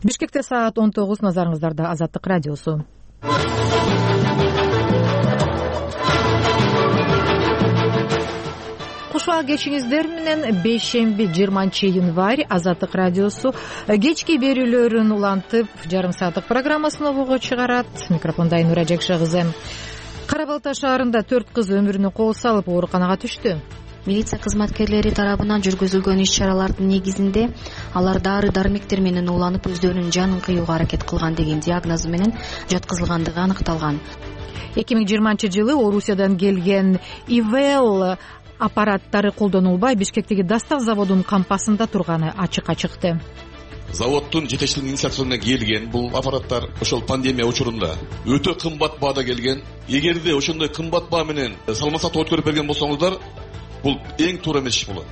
Бишкекте саат 19, назарыңыздарда Азаттык радиосу. Кушуа кечиңиздер менен бейшемби 20-январь Азаттык радиосу кечки берүүлөрүн улантып, жарым сааттык программасын обого чыгарат. Микрофонда Айнура Жакшы кызы. Кара Балта шаарында 4 кыз өмүрүнө кол салып ооруканага түштү. Милиция кызматкерлери тарабынан жүргүзүлгөн иш-чаралардын негизинде алар дары-дармектер менен ууланып өздөрүнүн жанын кыюуга аракет кылган деген диагнозу менен жаткызылгандыгы аныкталган. 2020-жылы Орусиядан келген ИВЛ аппараттары колдонулбай Бишкектеги Дастав заводунун кампасында турганы ачыкка чыкты. Заводдун жетекчилигинин инициативасы менен келген бул аппараттар ошол пандемия учурунда өтө кымбат баада келген. Эгерде ошондой кымбат баа менен салмасат өткөрүп берген болсоңуздар, бул эң туура эмес иш болот.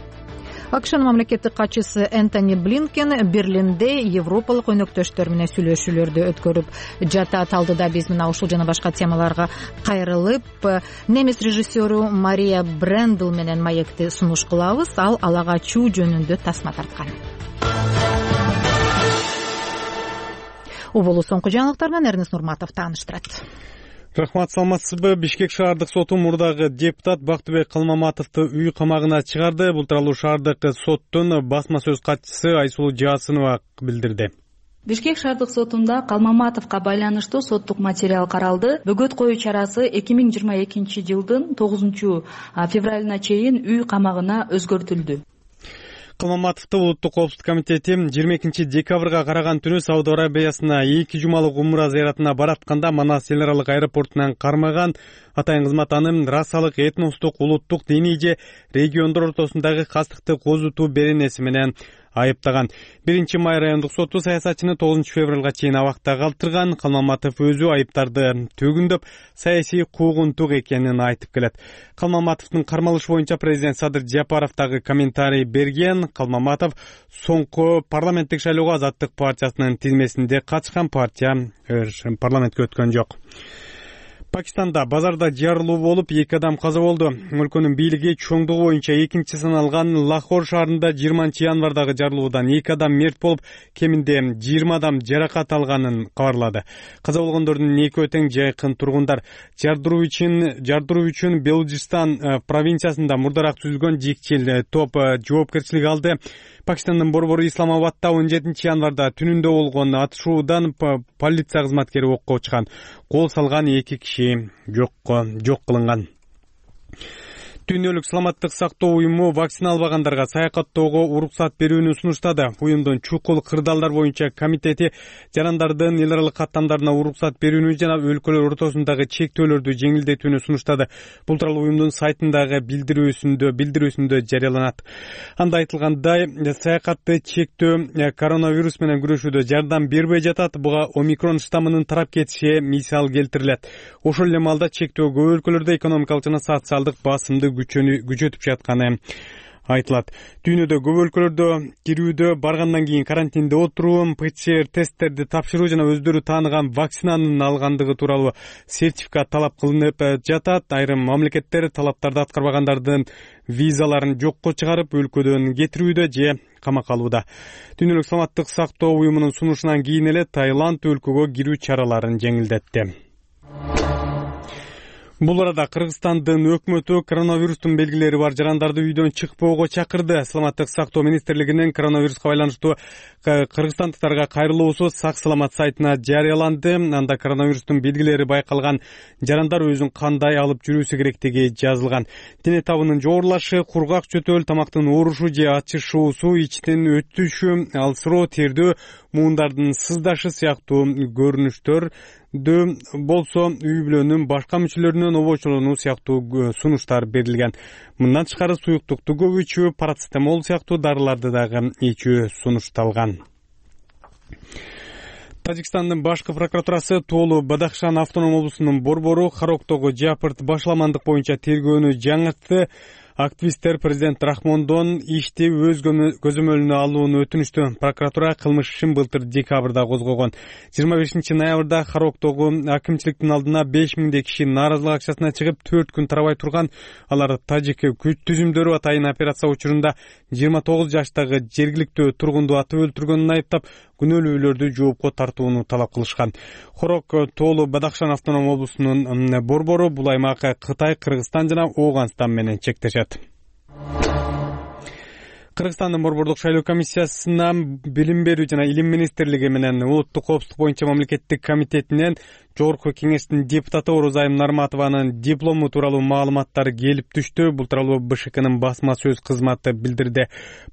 АКШнын мамлекеттик катчысы Энтони Блинкен Берлинде европалык өнөктөштөр менен сүйлөшүүлөрдү өткөрүп жатат. Алдыда биз мына ушул жана башка темаларга кайрылып, немис режиссеру Мария Брендл менен маекти сунуш кылабыз. Ал ага чуу жөнүндө тасма тарткан. Убулу соңку жаңылыктар менен Эрнест Нурматов тааныштырат. Рахмат, саламатсызбы? Бишкек шаардык соту мурдагы депутат Бактыбек Калмаматовду үй камагына чыгарды. Бул тууралуу шаардык соттун басма сөз катчысы Айсулуу Жаасынова билдирди. Бишкек шаардык сотунда Калмаматовго байланыштуу соттук материал каралды. Бөгөт коюу чарасы 2022 жылдын 9 февралына чейин үй камагына өзгөртүлдү. Калмаматовду улуттук коопсуздук комитети 22 декабрга караган түнү Сауд Арабиясына 2 жумалык умра зыяратына баратканда Манас эл аралык аэропортунан кармаган. Атайын кызмат аны расалык, этностук, улуттук, диний же региондор ортосундагы кастыкты козутуу беренеси менен айыптаган. 1-май райондук соту саясатчыны 9 февралга чейин абакта калтырган. Калмаматов өзү айыптарды төгүндөп, саясий куугунтук экенин айтып келет. Калмаматовдун кармалышы боюнча президент Садыр Жапаров дагы комментарий берген. Калмаматов соңку парламенттик шайлоого Азаттык партиясынын тизмесинде катышкан, партия парламентке өткөн жок. Пакистанда базарда жарылуу болуп 2 адам каза болду. Өлкөнүн бийлиги чоңдугу боюнча 2-чи саналган Лахор шаарында 20-январдагы жарылуудан 2 адам мерт болуп, кеминде 20 адам жаракат алганын кабарлады. Каза болгондордун 2 тең жайкын тургундар. Жардыруу үчүн Белужистан провинциясында мурдараак түзүлгөн жикчил топ жоопкерчилик алды. Пакистандын борбору Исламабадда 17 январда түнүндө болгон атышуудан полиция кызматкери окко чыккан. Кол салган 2 киши жок кылынган. Дүйнөлүк саламаттык сактоо уюму вакцина албагандарга саякаттоого уруксат берүүнү сунуштады. Уюмдун чукул кырдаалдар боюнча комитети жарандардын эл аралык каттамдарына уруксат берүүнү жана өлкөлөр ортосундагы чектөөлөрдү жеңилдетүүнү сунуштады. Бул тууралуу уюмдун сайтындагы билдирүүсүндө жарыяланат. Анда айтылгандай, саякатты чектөө коронавирус менен күрөшүүдө жардам бербей жатат. Буга омикрон штаммынын тарап кетиши мисал келтирилет. Ошол эле маалда чектөө көп өлкөлөрдө экономикалык жана социалдык басымды күчөтүп жатканы айтылат. Дүйнөдө көп өлкөлөрдө кирүүдө баргандан кийин карантинде отуруу, ПЦР тесттерди тапшыруу жана өздөрү тааныган вакцинанын алгандыгы тууралуу сертификат талап кылынып жатат. Айрым мамлекеттер талаптарды аткарбагандардын визаларын жокко чыгарып, өлкөдөн кетирүүдө же камакка алууда. Дүйнөлүк саламаттык сактоо уюмунун сунушунан кийин эле Таиланд өлкөгө кирүү чараларын жеңилдетти. Бул арада Кыргызстандын өкмөтү коронавирустун белгилери бар жарандарды үйдөн чыкпоого чакырды. Саламаттык сактоо министрлигинин коронавируска байланыштуу кыргызстандыктарга кайрылуусу сак саламат сайтына жарыяланды. Анда коронавирустун белгилери байкалган жарандар өзүн кандай алып жүрүүсү керектиги жазылган. Дене табынын жогорулашы, кургак жөтөл, тамактын оорушу же ачышуусу, ичтин өтүшү, алсыроо, тердөө, муундардын сыздашы сыяктуу көрүнүштөр болсо үй бүлөнүн башка мүчөлөрүнөн обочолонуу сыяктуу сунуштар берилген. Мындан тышкары суюктукту көп ичүү, парацетамол сыяктуу дарыларды дагы ичүү сунушталган. Тажикстандын башкы прокуратурасы Тоолу Бадахшан автоном облусунун борбору Хароктогу жапырт башаламандык боюнча тергөөнү жаңыртты. Активисттер президент Рахмондон ишти өз көзөмөлүнө алууну өтүнүштү. Прокуратура кылмыш ишин былтыр декабрда козгогон. 25 ноябрда Хароктогу акимчиликтин алдына 5000 киши нааразылык акчасына чыгып 4 күн тарабай турган. Алар тажик күч түзүмдөрү атайын операция учурунда 29 жаштагы жергиликтүү тургунду атып өлтүргөнүн айыптап, күнөөлүүлөрдү жоопко тартууну талап кылышкан. Хорок тоолу Бадахшан автоном облусунун борбору бул аймак Кытай, Кыргызстан жана Ооганстан менен чектешет. Кыргызстандын борбордук шайлоо комиссиясына билим берүү жана илим министрлиги менен улуттук коопсуздук боюнча мамлекеттик комитетинен Жогорку кеңештин депутаты Орозайым Нарматованын диплому тууралуу маалыматтары келип түштү. Бул тууралуу БШКнын басма сөз кызматы билдирди.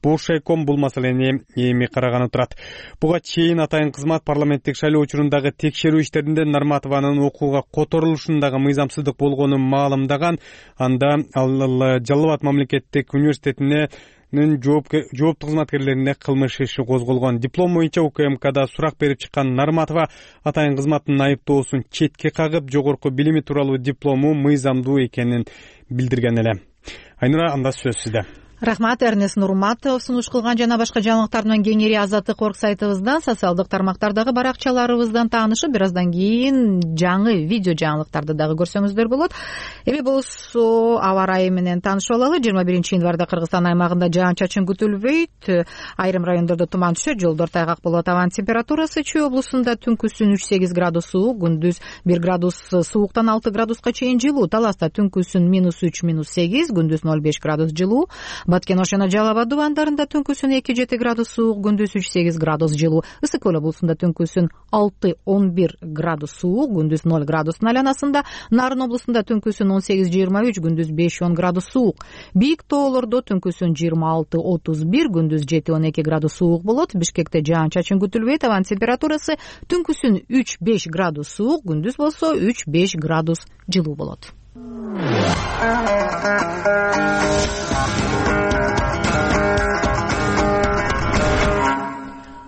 Бошайком бул маселени эми караганы турат. Буга чейин атайын кызмат парламенттик шайлоо учурундагы текшерүү иштеринде Нарматованын окууга которулушундагы мыйзамсыздык болгонун маалымдаган. Анда ал Жалал Абад мамлекеттик университетине жооптуу кызматкерлерине кылмыш иши козголгон. Диплом боюнча УКМКда сурак берип чыккан Нарматова атайын кызматтын айыптоосун четке кагып, жогорку билими тууралуу диплому мыйзамдуу экенин билдирген эле. Айнура, анда сөз сизде. Рахмат, Эрнест Нурматов сунуш кылган жана башка жаңылыктар менен кеңири Азаттык орг сайтыбыздан, социалдык тармактардагы баракчаларыбыздан таанышып, бир аздан кийин жаңы видео жаңылыктарды дагы көрсөңүздөр болот. Эми болсо аба ырайы менен таанышып алалы. 21-январда Кыргызстан аймагында жаан-чачын күтүлбөйт. Айрым райондордо туман түшөт, жолдор тайгак болот. Абанын температурасы Чүй облусунда түнкүсүн 3-8 градус суук, күндүз 1 градус сууктан 6 градуска чейин жылуу. Таласта түнкүсүн -3, -8, күндүз 0,5 градус жылуу. Баткен Ошона Жалал Абад дубандарында түнкүсүн 2-7 градус суук, күндүз 3-8 градус жылуу. Ысык көл облусунда түнкүсүн 6-11 градус суук, күндүз 0 градустун айланасында. Нарын облусунда түнкүсүн 18-23, күндүз 5-10 градус суук. Бийик тоолордо түнкүсүн 26-31, күндүз 7-12 градус суук болот. Бишкекте жаан-чачын күтүлбөйт. Абанын температурасы түнкүсүн 3-5 градус суук, күндүз болсо 3-5 градус жылуу болот.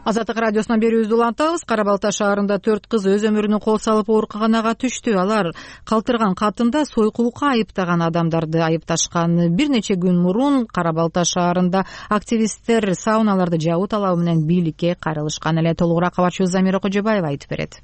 Азаттык радиосунан берүүбүздү улантабыз. Кара Балта шаарында 4 кыз өз өмүрүнө кол салып ооруканага түштү. Алар калтырган катында сойкулукка айыптаган адамдарды айыпташкан. Бир нече күн мурун Кара Балта шаарында активисттер сауналарды жабуу талабы менен бийликке кайрылышкан эле. Толугураак кабарчыбыз Замира Кожобаева айтып берет.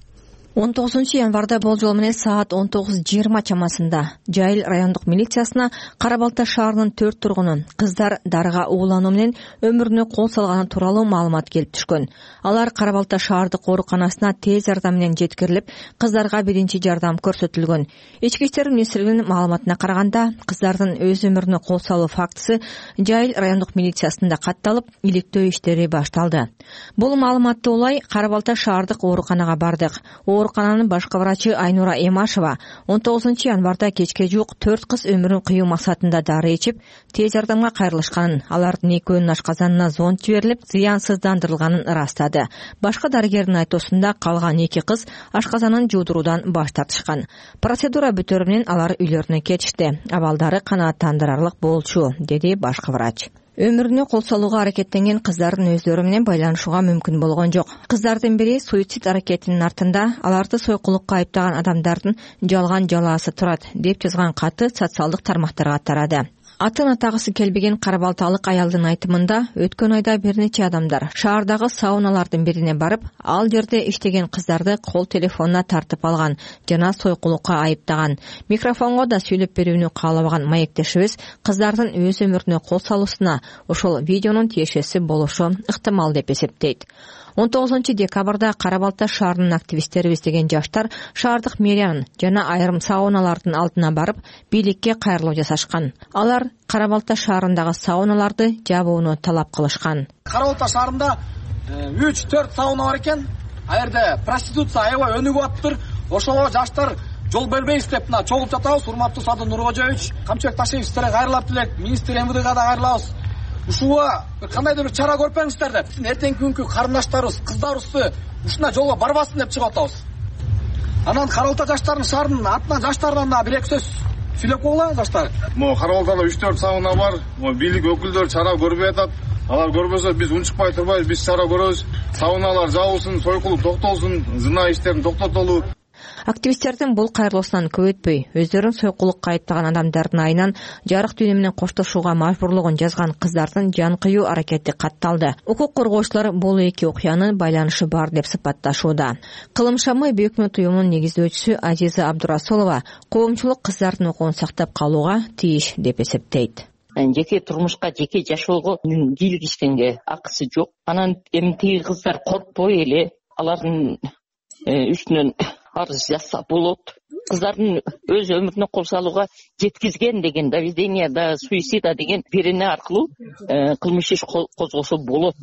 19-январда болжол менен саат 19:20 чамасында Жайыл райондук милициясына Кара Балта шаарынын 4 тургуну кыздар дарыга уулануу менен өмүрүнө кол салганы тууралуу маалымат келип түшкөн. Алар Кара Балта шаардык ооруканасына тез жардам менен жеткирилип, кыздарга биринчи жардам көрсөтүлгөн. Ички иштер министрлигинин маалыматына караганда, кыздардын өз өмүрүнө кол салуу фактысы Жайыл райондук милициясында катталып, иликтөө иштери башталды. Бул маалыматты улай Кара Балта шаардык ооруканага бардык. Оорукананын башкы врачы Айнура Эмашева 19-январда кечке жуук 4 кыз өмүрүн кыюу максатында дары ичип, тез жардамга кайрылышканын, алардын экөөнүн ашказанына зонд жиберилип, зыянсыздандырылганын ырастады. Башкы дарыгердин айтуусунда калган 2 кыз ашказанын жуудуруудан баш тартышкан. Процедура бүтөөрү менен алар үйлөрүнө кетишти. Абалдары канааттандырарлык болчу, деди башкы врач. Өмүрүнө кол салууга аракеттенген кыздардын өздөрү менен байланышууга мүмкүн болгон жок. Кыздардын бири суицид аракетинин артында аларды сойкулукка айыптаган адамдардын жалган жалаасы турат, деп жазган каты социалдык тармактарга тарады. Атын атагысы келбеген Кара Балталык аялдын айтымында, өткөн айда бир нече адамдар шаардагы сауналардын бирине барып, ал жерде иштеген кыздарды кол телефонуна тартып алган жана сойкулукка айыптаган. Микрофонго да сүйлөп берүүнү каалабаган маектешибиз кыздардын өз өмүрүнө кол салуусуна ошол видеонун тиешеси болушу ыктымал деп эсептейт. 19-декабрда Кара Балта шаарынын активисттери издеген жаштар шаардык мэриянын жана айрым сауналардын алдына барып, бийликке кайрылуу жасашкан. Алар Кара Балта шаарындагы сауналарды жабууну талап кылышкан. Кара Балта шаарында 3-4 сауна бар экен. А жерде проституция аябай өнүгүп атыптыр. Ошого жаштар жол бербейбиз деп мына чогулуп жатабыз. Урматтуу Садыр Нуркожоевич, Камчыбек Ташиев сиздерге кайрылып элек, министр МВДга да кайрылабыз. Ушуга кандайдыр бир чара көрүп бериңиздер деп. Эртеңки күnkү карындаштарыбыз, кыздарыбызды ушундай жолго барбасын деп чыгып атабыз. Анан Кара Балта жаштарынын шаарынын атынан жаштардан да бир эки сөз сүйлөп койгула жаштар. Мо Кара Балтада 3-4 сауна бар. Мо бийлик өкүлдөрү чара көрбөй атат. Алар көрбөсө биз унчукпай турбайбыз, биз чара көрөбүз. Сауналар жабылсын, сойкулук токтолсун, зына иштерин токтотолу. Активисттердин бул кайрылуусунан көп өтпөй, өздөрүн сойкулукка айыптаган адамдардын айынан жарык дүйнө менен коштошууга мажбурлугун жазган кыздардын жан кыюу аракети катталды. Укук коргоочулар бул эки окуянын байланышы бар деп сыпатташууда. Кылым шамы Бүйөкмөт уюмунун негиздөөчүсү Азиза Абдурасулова коомчулук кыздардын укугун сактап калууга тийиш деп эсептейт. жеке турмушка, жеке жашоого кийлигишкенге акысы жок. Анан эми тиги кыздар коркпой эле алардын үстүнөн арыз жазса болот. Кыздардын өз өмүрүнө кол салууга жеткизген деген доведение до суицида деген берене аркылуу кылмыш иш козгосо болот.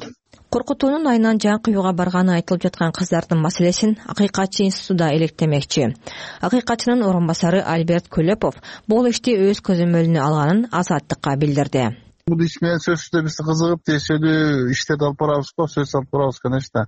Коркутуунун айынан жан кыюуга барганы айтылып жаткан кыздардын маселесин Акыйкатчы институту электемекчи. Акыйкатчынын орун басары Альберт Көлөпов бул ишти өз көзөмөлүнө алганын Азаттыкка билдирди. Бул иш менен сөзсүздө биз кызыгып тиешелүү иштерди алып барабызго, сөз алып барабыз, конечно.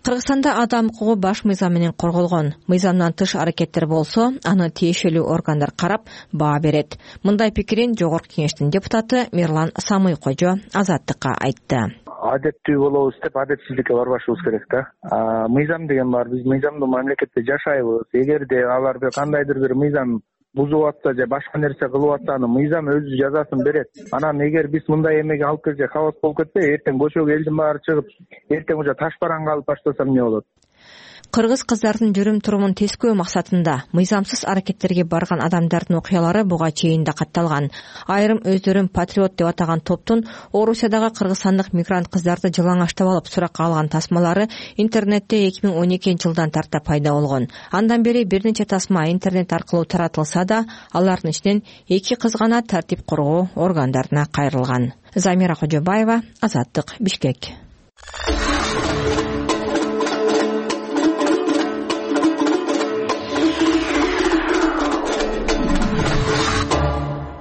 Кыргызстанда адам укугу баш мыйзам менен корголгон. Мыйзамдан тыш аракеттер болсо, аны тиешелүү органдар карап баа берет. Мындай пикирин Жогорку Кеңештин депутаты Мирлан Самый-Кожо Азаттыкка айтты. Адеттүү болобуз деп адетсиздикке барбашыбыз керек да. Мыйзам деген бар, биз мыйзамдуу мамлекетте жашайбыз. Эгерде алар кандайдыр бир мыйзам бузуп атса же башка нерсе кылып атса, аны мыйзам өзү жазасын берет. Анан эгер биз мындай эмеге алып келсек, хаос болуп кетсе, эртең көчөгө элдин баары чыгып, эртең уже таш бараңга алып баштаса эмне болот? Кыргыз кыздардын жүрүм-турумун тескөө максатында мыйзамсыз аракеттерге барган адамдардын окуялары буга чейин да катталган. Айрым өздөрүн патриот деп атаган топтун Орусиядагы кыргызстандык мигрант кыздарды жалаңаштап алып суракка алган тасмалары интернетте 2012-жылдан тарта пайда болгон. Андан бери бир нече тасма интернет аркылуу таратылса да, алардын ичинен 2 кыз гана тартип коргоо органдарына кайрылган. Замира Кожобаева, Азаттык, Бишкек.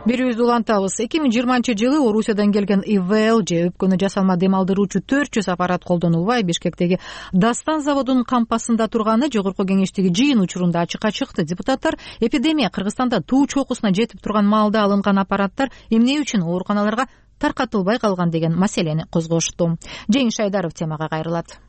Бирибиз улантабыз. 2020-жылы Орусиядан келген ИВЛ же өпкөнү жасалма дем алдыруучу 400 аппарат колдонулбай Бишкектеги Дастан заводунун кампасында турганы Жогорку Кеңештеги жыйын учурунда ачыкка чыкты. Депутаттар эпидемия Кыргызстанда туу чокусуна жетип турган маалда алынган аппараттар эмне үчүн ооруканаларга таркатылбай калган деген маселени козгошту. Жеңиш Айдаров темага кайрылат.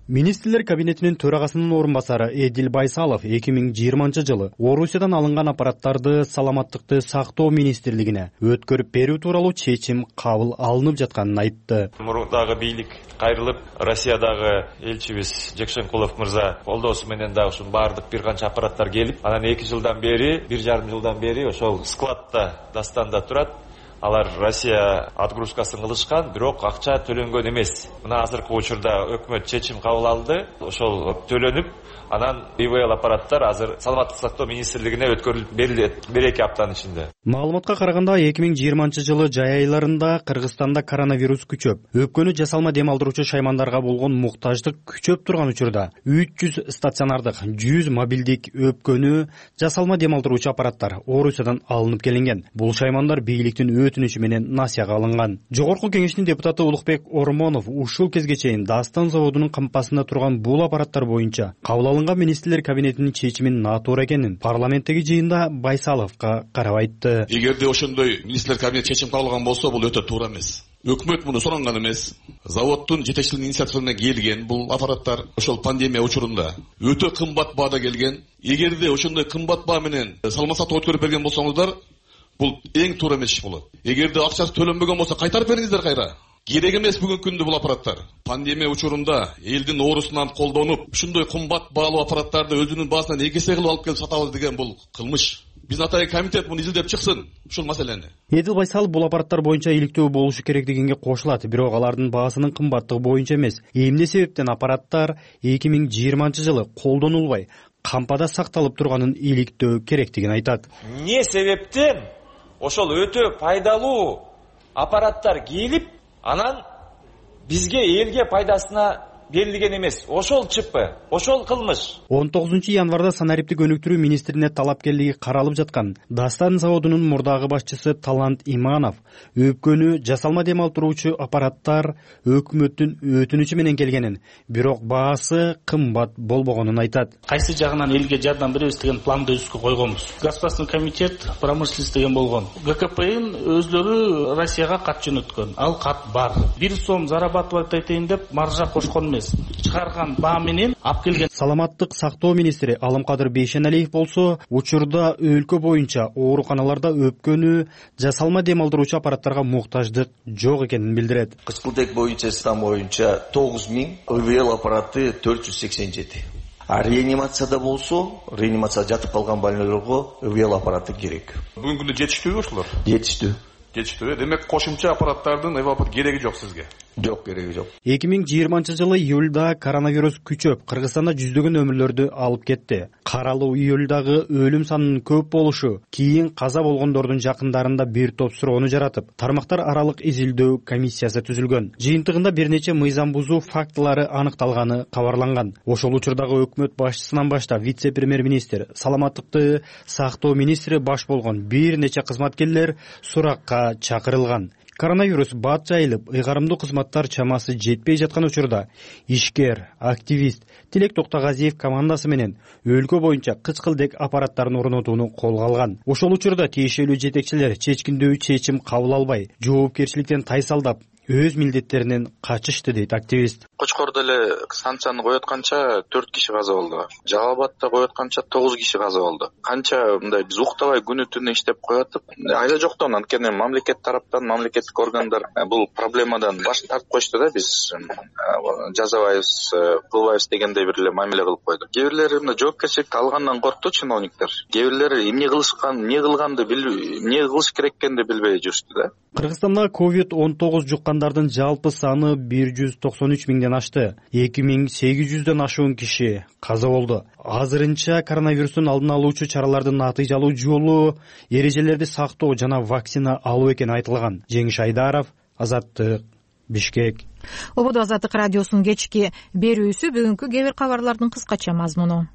Министрлер кабинетинин төрагасынын орун басары Эдил Байсалов 2020-жылы Орусиядан алынган аппараттарды саламаттыкты сактоо министрлигине өткөрүп берүү тууралуу чечим кабыл алынып жатканын айтты. Мурдагы бийлик кайрылып, Россиядагы элчибиз Жекшенкулов мырза колдоосу менен да ушун баардык бир канча аппараттар келип, анан 2 жылдан бери, 1,5 жылдан бери ошол складда Дастанда турат. Алар Россия отгрузкасын кылышкан, бирок акча төлөнгөн эмес. Мына азыркы учурда өкмөт чечим кабыл алды. Ошол төлөнүп, анан ИВЛ аппараттар азыр саламаттык сактоо министрлигине өткөрүлүп берилет 1-2 аптанын ичинде. Маалыматка караганда 2020-жылы жай айларында Кыргызстанда коронавирус күчөп, өпкөнү жасалма дем алдыруучу шаймандарга болгон муктаждык күчөп турган учурда 300 стационардык, 100 мобилдик өпкөнү жасалма дем алдыруучу аппараттар Орусиядан алынып келинген. Бул шаймандар бийликтин өтүнүчү менен насияга алынган. Жогорку Кеңештин депутаты Улукбек Ормонов ушул кезге чейин Дастан заводунун кампасында турган бул аппараттар боюнча кабыл алынган министрлер кабинетинин чечимин натуура экенин парламенттеги жыйында Байсаловго карап айтты. Эгерде ошондой министрлер кабинет чечим кабыл алган болсо, бул өтө туура эмес. Өкмөт муну суранган эмес. Заводдун жетекчилигинин инициативасына келген бул аппараттар ошол пандемия учурунда өтө кымбат баада келген. Эгерде ошондой кымбат баа менен салма сатып өткөрүп берген болсоңуздар, бул эң туура эмес иш болот. Эгерде акчасы төлөнбөгөн болсо кайтарып бериңиздер кайра. Керек эмес бүгүнкү күндө бул аппараттар. Пандемия учурунда элдин оорусунан колдонуп, ушундай кымбат баалуу аппараттарды өзүнүн баасынан экесе кылып алып келип сатабыз деген бул кылмыш. Биздин атайын комитет муну изилдеп чыксын, ушул маселени. Эдил Байсалов бул аппараттар боюнча иликтөө болушу керек дегенге кошулат, бирок алардын баасынын кымбаттыгы боюнча эмес. Эмне себептен аппараттар 2020-жылы колдонулбай, кампада сакталып турганын иликтөө керектигин айтат. Эмне себептен ошол өтө пайдалуу аппараттар келип, анан бизге элге пайдасына берилген эмес. Ошол ЧП, ошол кылмыш. 19-январда санариптик өнүктүрүү министрине талапкерлиги каралып жаткан Дастан заводунун мурдагы башчысы Талант Иманов өпкөнү жасалма дем алдыруучу аппараттар өкмөттүн өтүнүчү менен келгенин, бирок баасы кымбат болбогонун айтат. Кайсы жагынан элге жардам беребиз деген планды өзүбүзгө койгонбуз. Государственный комитет промышленности деген болгон. ГКПН өзлөрү Россияга кат жөнөткөн. Ал кат бар. 1 сом зарабатывать этейин деп маржа кошкон чыгарган баа менен алып келген. Саламаттык сактоо министри Алымкадыр Бейшеналиев болсо, учурда өлкө боюнча ооруканаларда өпкөнү жасалма дем алдыруучу аппараттарга муктаждык жок экенин билдирет. Кызылтек боюнча стан боюнча 9000 ИВЛ аппараты 487. А реанимацияда болсо, реанимацияда жатып калган больнойлорго ИВЛ аппараты керек. Бүгүнкү күндө жетиштүүбү ошолор? Жетиштүү. кетиштүү. Демек кошумча аппараттардын эвапат кереги жок сизге. Жок, кереги жок. 2020 июлда коронавирус күчөп, Кыргызстанда жүздөгөн өмүрлөрдү алып кетти. Каралуу июлдагы өлүм санынын көп болушу кийин каза болгондордун жакындарында бир топ суроону жаратып, тармактар аралык изилдөө комиссиясы түзүлгөн. Жыйынтыгында бир нече мыйзам бузуу фактылары аныкталганы кабарланган. Ошол учурдагы өкмөт башчысынан баштап вице-премьер-министр, саламаттыкты сактоо министри баш болгон бир нече кызматкерлер суракка чакырылган. Коронавирус бат жайылып, ыйгарымдуу кызматтар чамасы жетпей жаткан учурда ишкер, активист Тилек Токтогазиев командасы менен өлкө боюнча кычкылдек аппараттарын орнотууну колго алган. Ошол учурда тиешелүү жетекчилер чечкиндүү чечим кабыл албай, жоопкерчиликтен тайсалдап, өз милдеттеринен качышты дейт активист. Кочкордо эле станцияны коётканча 4 киши каза болду. Жалал Абадта коётканча 9 киши каза болду. Канча мындай биз уктабай күнү түнү иштеп коётуп, айда жоктон анткени мамлекет тараптан, мамлекеттик органдар бул проблемадан баш тартып коюшту да, биз жазабайбыз, кылбайбыз дегендей бир эле мамиле кылып койду. Кээ бирлери мына жоопкерчиликти алгандан коркту чиновниктер. Кээ бирлери эмне кылганды билбей, эмне кылыш керек экенди билбей жүрүштү да. Кыргызстанда COVID-19 жуккандардын жалпы саны 193 миңден ашты. 2800дөн ашуун киши каза болду. Азырынча коронавирустун алдын алуучу чаралардын натыйжалуу жолу эрежелерди сактоо жана вакцина алуу экени айтылган. Жеңиш Айдаров, Азаттык, Бишкек. Ободо Азаттык радиосунун кечки берүүсү. Бүгүнкү кээ бир кабарлардын кыскача мазмуну.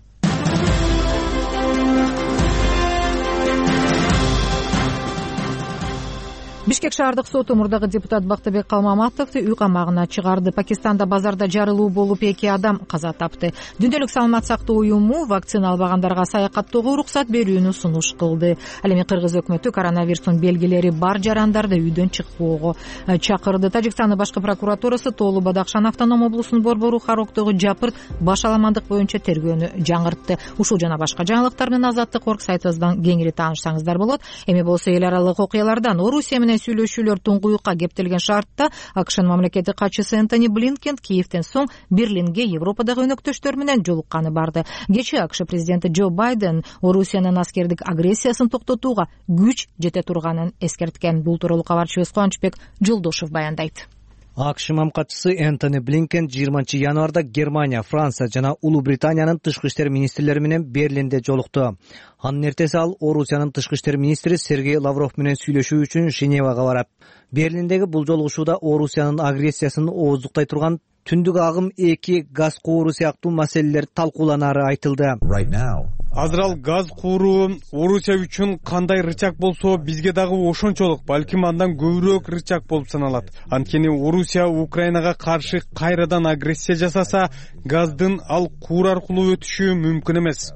Бишкек шаардык соту мурдагы депутат Бактыбек Калмаматовду үй камагына чыгарды. Пакистанда базарда жарылуу болуп 2 адам каза тапты. Дүйнөлүк саламат сактоо уюму вакцина албагандарга саякаттоого уруксат берүүнү сунуш кылды. Ал эми Кыргыз өкмөтү коронавирустун белгилери бар жарандарды үйдөн чыкпоого чакырды. Тажикстандын башкы прокуратурасы Тоолу Бадакшан автоном облусунун Борбору Хароктогу жапырт башаламандык боюнча тергөөнү жаңыртты. Ушул жана башка жаңылыктар менен Азаттык орг сайтыбыздан кеңири таанышсаңыздар болот. Эми болсо эл аралык окуялардан Орусия менен сүйлөшүүлөр туңгуюкка кептелген шартта АКШнын мамлекеттик катчысы Энтони Блинкен Киевден соң Берлинге Европадагы өнөктөштөр менен жолукканы барды. Кечээ АКШ президенти Джо Байден Орусиянын аскердик агрессиясын токтотууга күч жете турганын эскерткен. Бул тууралуу кабарчыбыз Кубанычбек Жолдошев баяндайт. АКШ мамкатчысы Энтони Блинкен 20 январда Германия, Франция жана Улуу Британиянын тышкы иштер министрлери менен Берлинде жолукту. Анын эртеси ал Орусиянын тышкы иштер министри Сергей Лавров менен сүйлөшүү үчүн Женевага барат. Берлиндеги бул жолугушууда Орусиянын агрессиясын ооздуктай турган түндүк агым 2 газ кууру сыяктуу маселелер талкууланары айтылды. Азыр ал газ кууру Орусия үчүн кандай рычаг болсо, бизге дагы ошончолук, балким андан көбүрөөк рычаг болуп саналат. Анткени Орусия Украинага каршы кайрадан агрессия жасаса, газдын ал куур аркылуу өтүшү мүмкүн эмес.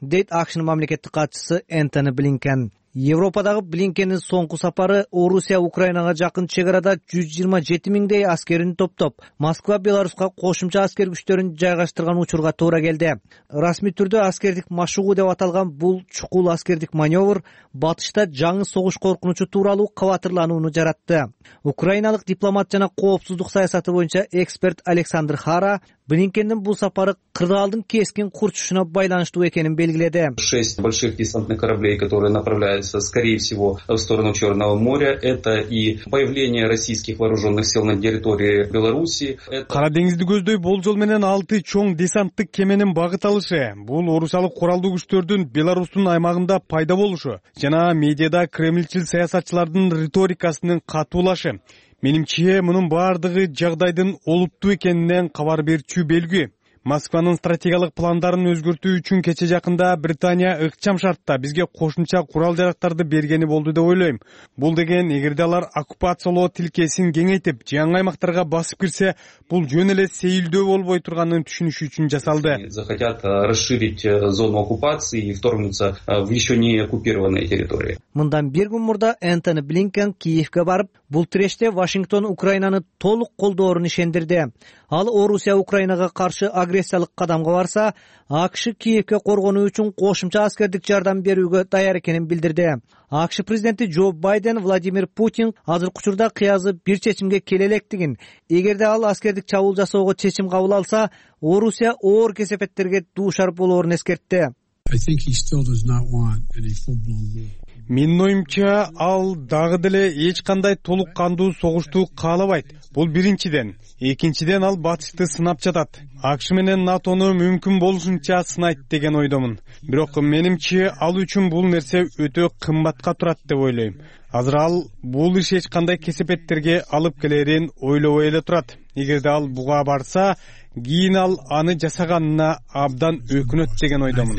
Дейт АКШнын мамлекеттик катчысы Энтони Блинкен. Европадагы Блинкендин соңку сапары Орусия Украинага жакын чек арада 127 миңдей аскерин топтоп, Москва Беларуска кошумча аскер күчтөрүн жайгаштырган учурга туура келди. Расмий түрдө аскердик машыгуу деп аталган бул чукул аскердик маневр батышта жаңы согуш коркунучу тууралуу кабатырланууну жаратты. Украиналык дипломат жана коопсуздук саясаты боюнча эксперт Александр Хара Блинкендин бул сапары кырдаалдын кескин курчушуна байланыштуу экенин белгиледи. 6 больших десантных кораблей, которые направляются, скорее всего, в сторону Черного моря. Это и появление российских вооруженных сил на территории Беларуси. Кара деңизди көздөй болжол менен 6 чоң десанттык кеменин багыт алышы. Бул орусиялык куралдуу күчтөрдүн Беларустун аймагында пайда болушу жана медиада кремльчил саясатчылардын риторикасынын катуулашы. Менимче, мунун баардыгы жагдайдын олуттуу экенинен кабар берчү белги. Москванын стратегиялык пландарын өзгөртүү үчүн кече жакында Британия ыкчам шартта бизге кошумча курал жарактарды бергени болду деп ойлойм. Бул деген эгерде алар оккупациялоо тилкесин кеңейтип, жаңы аймактарга басып кирсе, бул жөн эле сейилдөө болбой турганын түшүнүшү үчүн жасалды. Захотят расширить зону оккупации и вторгнуться в еще не оккупированные территории. Мындан бир күн мурда Энтони Блинкен Киевге барып, бул тиреште Вашингтон Украинаны толук колдоорун ишендирди. Ал Орусия Украинага каршы агрессиялык кадамга барса, АКШ Киевге коргонуу үчүн кошумча аскердик жардам берүүгө даяр экенин билдирди. АКШ президенти Джо Байден Владимир Путин азыркы учурда кыязы бир чечимге келе электигин, эгерде ал аскердик чабуул жасоого чечим кабыл алса, Орусия оор кесепеттерге дуушар болоорун эскертти. Менин оюмча, ал дагы деле эч кандай толук кандуу согушту каалабайт. Бул биринчиден. Экинчиден, ал батышты сынап жатат. АКШ менен НАТОну мүмкүн болушунча сынайт деген ойдомун. Бирок менимче ал үчүн бул нерсе өтө кымбатка турат деп ойлойм. Азыр ал бул иш эч кандай кесепеттерге алып келерин ойлобой эле турат. Эгерде ал буга барса, кийин ал аны жасаганына абдан өкүнөт деген ойдомун.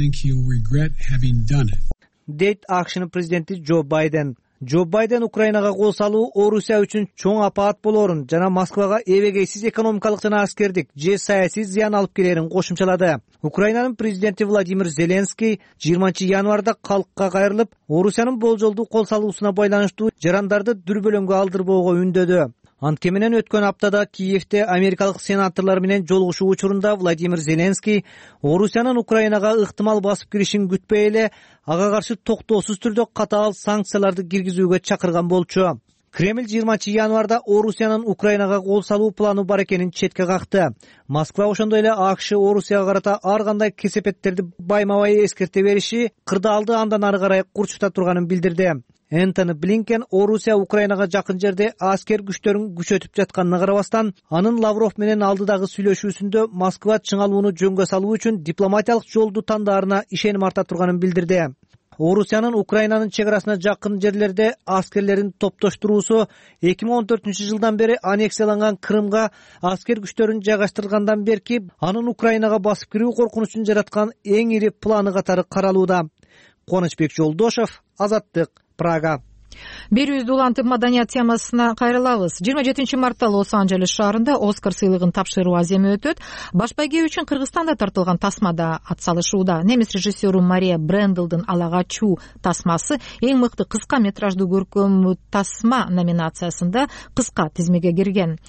Дейт АКШнын президенти Джо Байден. Джо Байден Украинага кол салуу Орусия үчүн чоң апаат болорун жана Москвага эбегейсиз экономикалык жана аскердик же саясий зыян алып келерин кошумчалады. Украинанын президенти Владимир Зеленский 20-январда калкка кайрылып, Орусиянын болжолдуу кол салуусуна байланыштуу жарандарды дүрбөлөңгө алдырбоого үндөдү. Антке менен өткөн аптада Киевде америкалык сенаторлор менен жолугушуу учурунда Владимир Зеленский Орусиянын Украинага ыктымал басып киришин күтпөй эле ага каршы токтоосуз түрдө катаал санкцияларды киргизүүгө чакырган болчу. Кремль 20-январда Орусиянын Украинага кол салуу планы бар экенин четке какты. Москва ошондой эле АКШ Орусияга карата ар кандай кесепеттерди байма-бай эскерте бериши кырдаалды андан ары карай курчута турганын билдирди. Энтони Блинкен Орусия Украинага жакын жерде аскер күчтөрүн күчөтүп жатканына карабастан, анын Лавров менен алдыдагы сүйлөшүүсүндө Москва чыңалууну жөнгө салуу үчүн дипломатиялык жолду тандаарына ишеним арта турганын билдирди. Орусиянын Украинанын чек арасына жакын жерлерде аскерлерин топтоштуруусу 2014-жылдан бери аннексияланган Крымга аскер күчтөрүн жайгаштыргандан берки анын Украинага басып кирүү коркунучун жараткан эң ири планы катары каралууда. Кубанычбек Жолдошов, Азаттык, Прага. Берүүбүздү улантып маданият темасына кайрылабыз. 27 мартта Лос-Анджелес шаарында Оскар сыйлыгын тапшыруу аземи өтөт. Баш байге үчүн Кыргызстанда тартылган тасмада атсалышууда. Немис режиссеру Мария Брендлдын Ала качуу тасмасы эң мыкты кыска метраждуу көркөм тасма номинациясында кыска тизмеге кирген.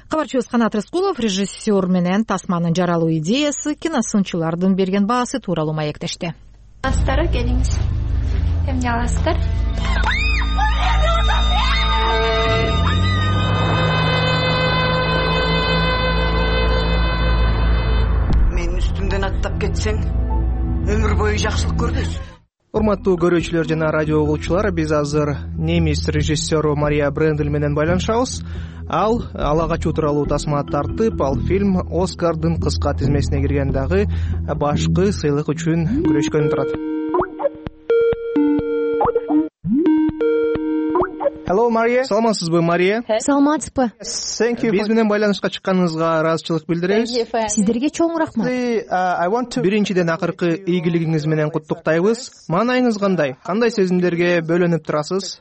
Кабарчыбыз Канат Рыскулов режиссер менен тасманын жаралуу идеясы, киносынчылардын берген баасы тууралуу маектешти. Астары келиңиз. Эмне аласыздар? Менин үстүмдөн аттап кетсең, өмүр бою жакшылык көрбөйсүң. Урматтуу көрүүчүлөр жана радио угуучулар, биз азыр немис режиссеру Мария Брендл менен байланышабыз. Ал Ала качуу тууралуу тасма тартып, ал фильм Оскардын кыска тизмесине кирген дагы башкы сыйлык үчүн күрөшкөнү турат. Hello, Мария. Саламатсызбы, Мария? Саламатсызбы. Биз менен байланышка чыкканыңызга ыраазычылык билдиребиз. Сиздерге чоң рахмат. Биринчиден акыркы ийгилигиңиз менен куттуктайбыз. Маанайыңыз кандай? Кандай сезимдерге бөлөнүп турасыз?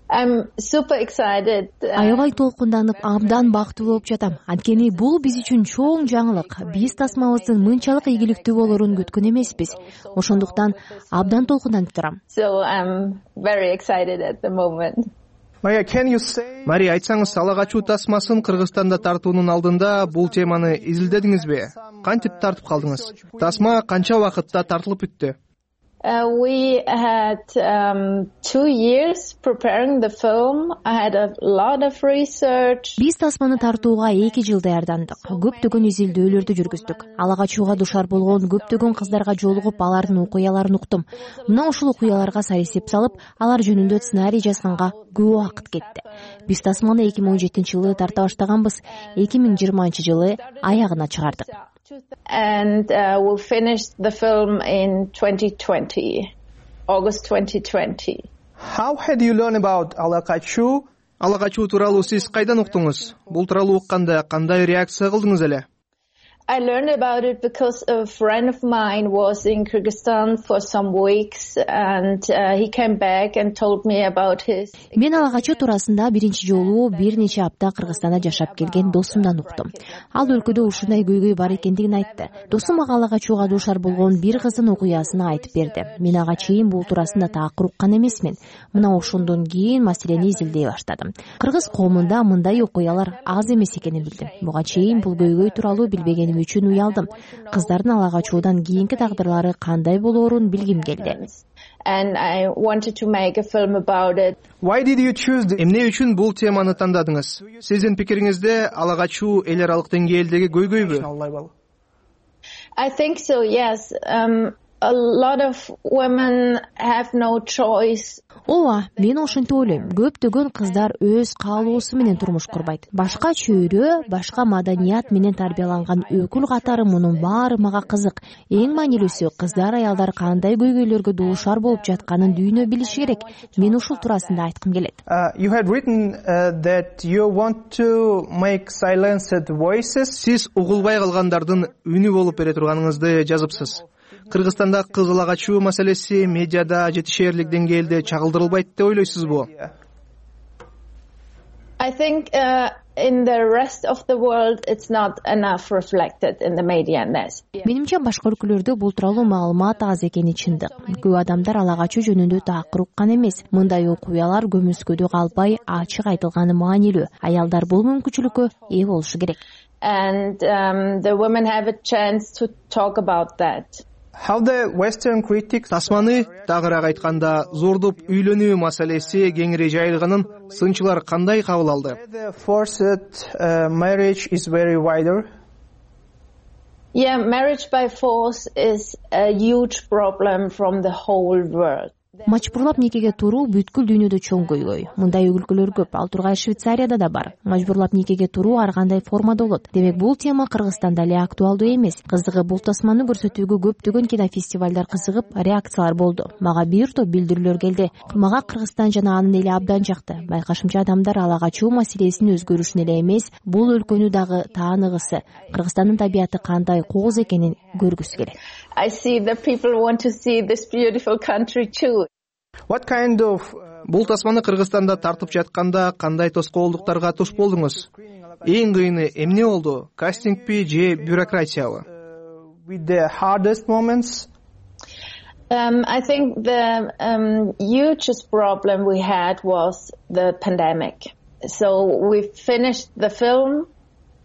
Аябай толкунданып, абдан бактылуу болуп жатам. Анткени бул биз үчүн чоң жаңылык. Биз тасмабыздын мынчалык ийгиликтүү болорун күткөн эмеспиз. Ошондуктан абдан толкунданып турам. Мария, айтсаңыз, Ала качуу тасмасын Кыргызстанда тартуунун алдында бул теманы изилдедиңизби? Кантип тартып калдыңыз? Тасма канча убакытта тартылып бүттү? We had 2 years preparing the film. I had a lot of research. Биз тасманы тартууга 2 жыл даярдандык. Көптөгөн изилдөөлөрдү жүргүздүк. Ала качууга душар болгон көптөгөн кыздарга жолугуп, алардын окуяларын уктум. Мына ушул окуяларга сарисеп салып, алар жөнүндө сценарий жазганга көп убакыт кетти. Биз тасманы 2017-жылы тарта баштаганбыз. 2020-жылы аягына чыгардык. And we finished the film in 2020, August 2020. How had you learned about Ала качуу? Ала качуу тууралуу сиз кайдан уктуңуз? Бул тууралуу укканда кандай реакция кылдыңыз эле? I learned about it because a friend of mine was in Kyrgyzstan for some weeks and he came back and told me about his. Мен ала качуу туурасында биринчи жолу бир нече апта Кыргызстанда жашап келген досумдан уктум. Ал өлкөдө ушундай көйгөй бар экендигин айтты. Досум ага ала качууга душар болгон бир кыздын окуясын айтып берди. Мен ага чейин бул туурасында такыр уккан эмесмин. Мына ошондон кийин маселени изилдей баштадым. Кыргыз коомунда мындай окуялар аз эмес экенин билдим. Буга чейин бул көйгөй тууралуу билбегеним үчүн уялдым. Кыздардын ала качуудан кийинки тагдырлары кандай болоорун билгим келди. And I wanted to make a film about it. Why did you choose this? Эмне үчүн бул теманы тандадыңыз? Сиздин пикириңизде ала качуу эл аралык деңгээлдеги көйгөйбү? I think so, yes. a lot of women have no choice. Ооба, мен ошентип ойлойм. Көптөгөн кыздар өз каалоосу менен турмуш курбайт. Башка чөйрө, башка маданият менен тарбияланган өкүл катары мунун баары мага кызык. Эң маанилүүсү, кыздар, аялдар кандай көйгөйлөргө дуушар болуп жатканын дүйнө билиши керек. Мен ушул туурасында айткым келет. You had written that you want to make silenced voices. Сиз угулбай калгандардын үнү болуп бере турганыңызды жазыпсыз. Кыргызстанда кыз ала качуу маселеси медиада жетишээрлик деңгээлде чагылдырылбайт деп ойлойсузбу? I think in the rest of the world it's not enough reflected in the media. Менимче башка өлкөлөрдө бул тууралуу маалымат аз экени чындык. Көп адамдар ала качуу жөнүндө такыр уккан эмес. Мындай окуялар көмүскөдө калбай ачык айтылганы маанилүү. Аялдар бул мүмкүнчүлүккө ээ болушу керек. And the women have a chance to talk about that. How the Western critics Тасманы тагыраак айтканда зордоп үйлөнүү маселеси кеңири жайылганын сынчылар кандай кабыл алды? The forced marriage is very wider. Yeah, marriage by force is a huge problem from the whole world. Мажбурлап никеге туруу бүткүл дүйнөдө чоң көйгөй. Мындай өлкөлөр көп. Ал тургай Швейцарияда да бар. Мажбурлап никеге туруу ар кандай формада болот. Демек бул тема Кыргызстанда эле актуалдуу эмес. Кызыгы бул тасманы көрсөтүүгө көптөгөн кинофестивалдар кызыгып, реакциялар болду. Мага бир топ билдирүүлөр келди. Мага Кыргызстан жана анын эли абдан жакты. Байкашымча адамдар ала качуу маселесинин өзгөрүшүн эле эмес, бул өлкөнү дагы тааныгысы, Кыргызстандын табияты кандай кооз экенин көргүсү келет. I see that people want to see this beautiful country too. What kind of бул тасманы Кыргызстанда тартып жатканда кандай тоскоолдуктарга туш болдуңуз? Эң кыйыны эмне болду? Кастингпи же бюрократиябы? With the hardest moments? I think the hugest problem we had was the pandemic. So we finished the film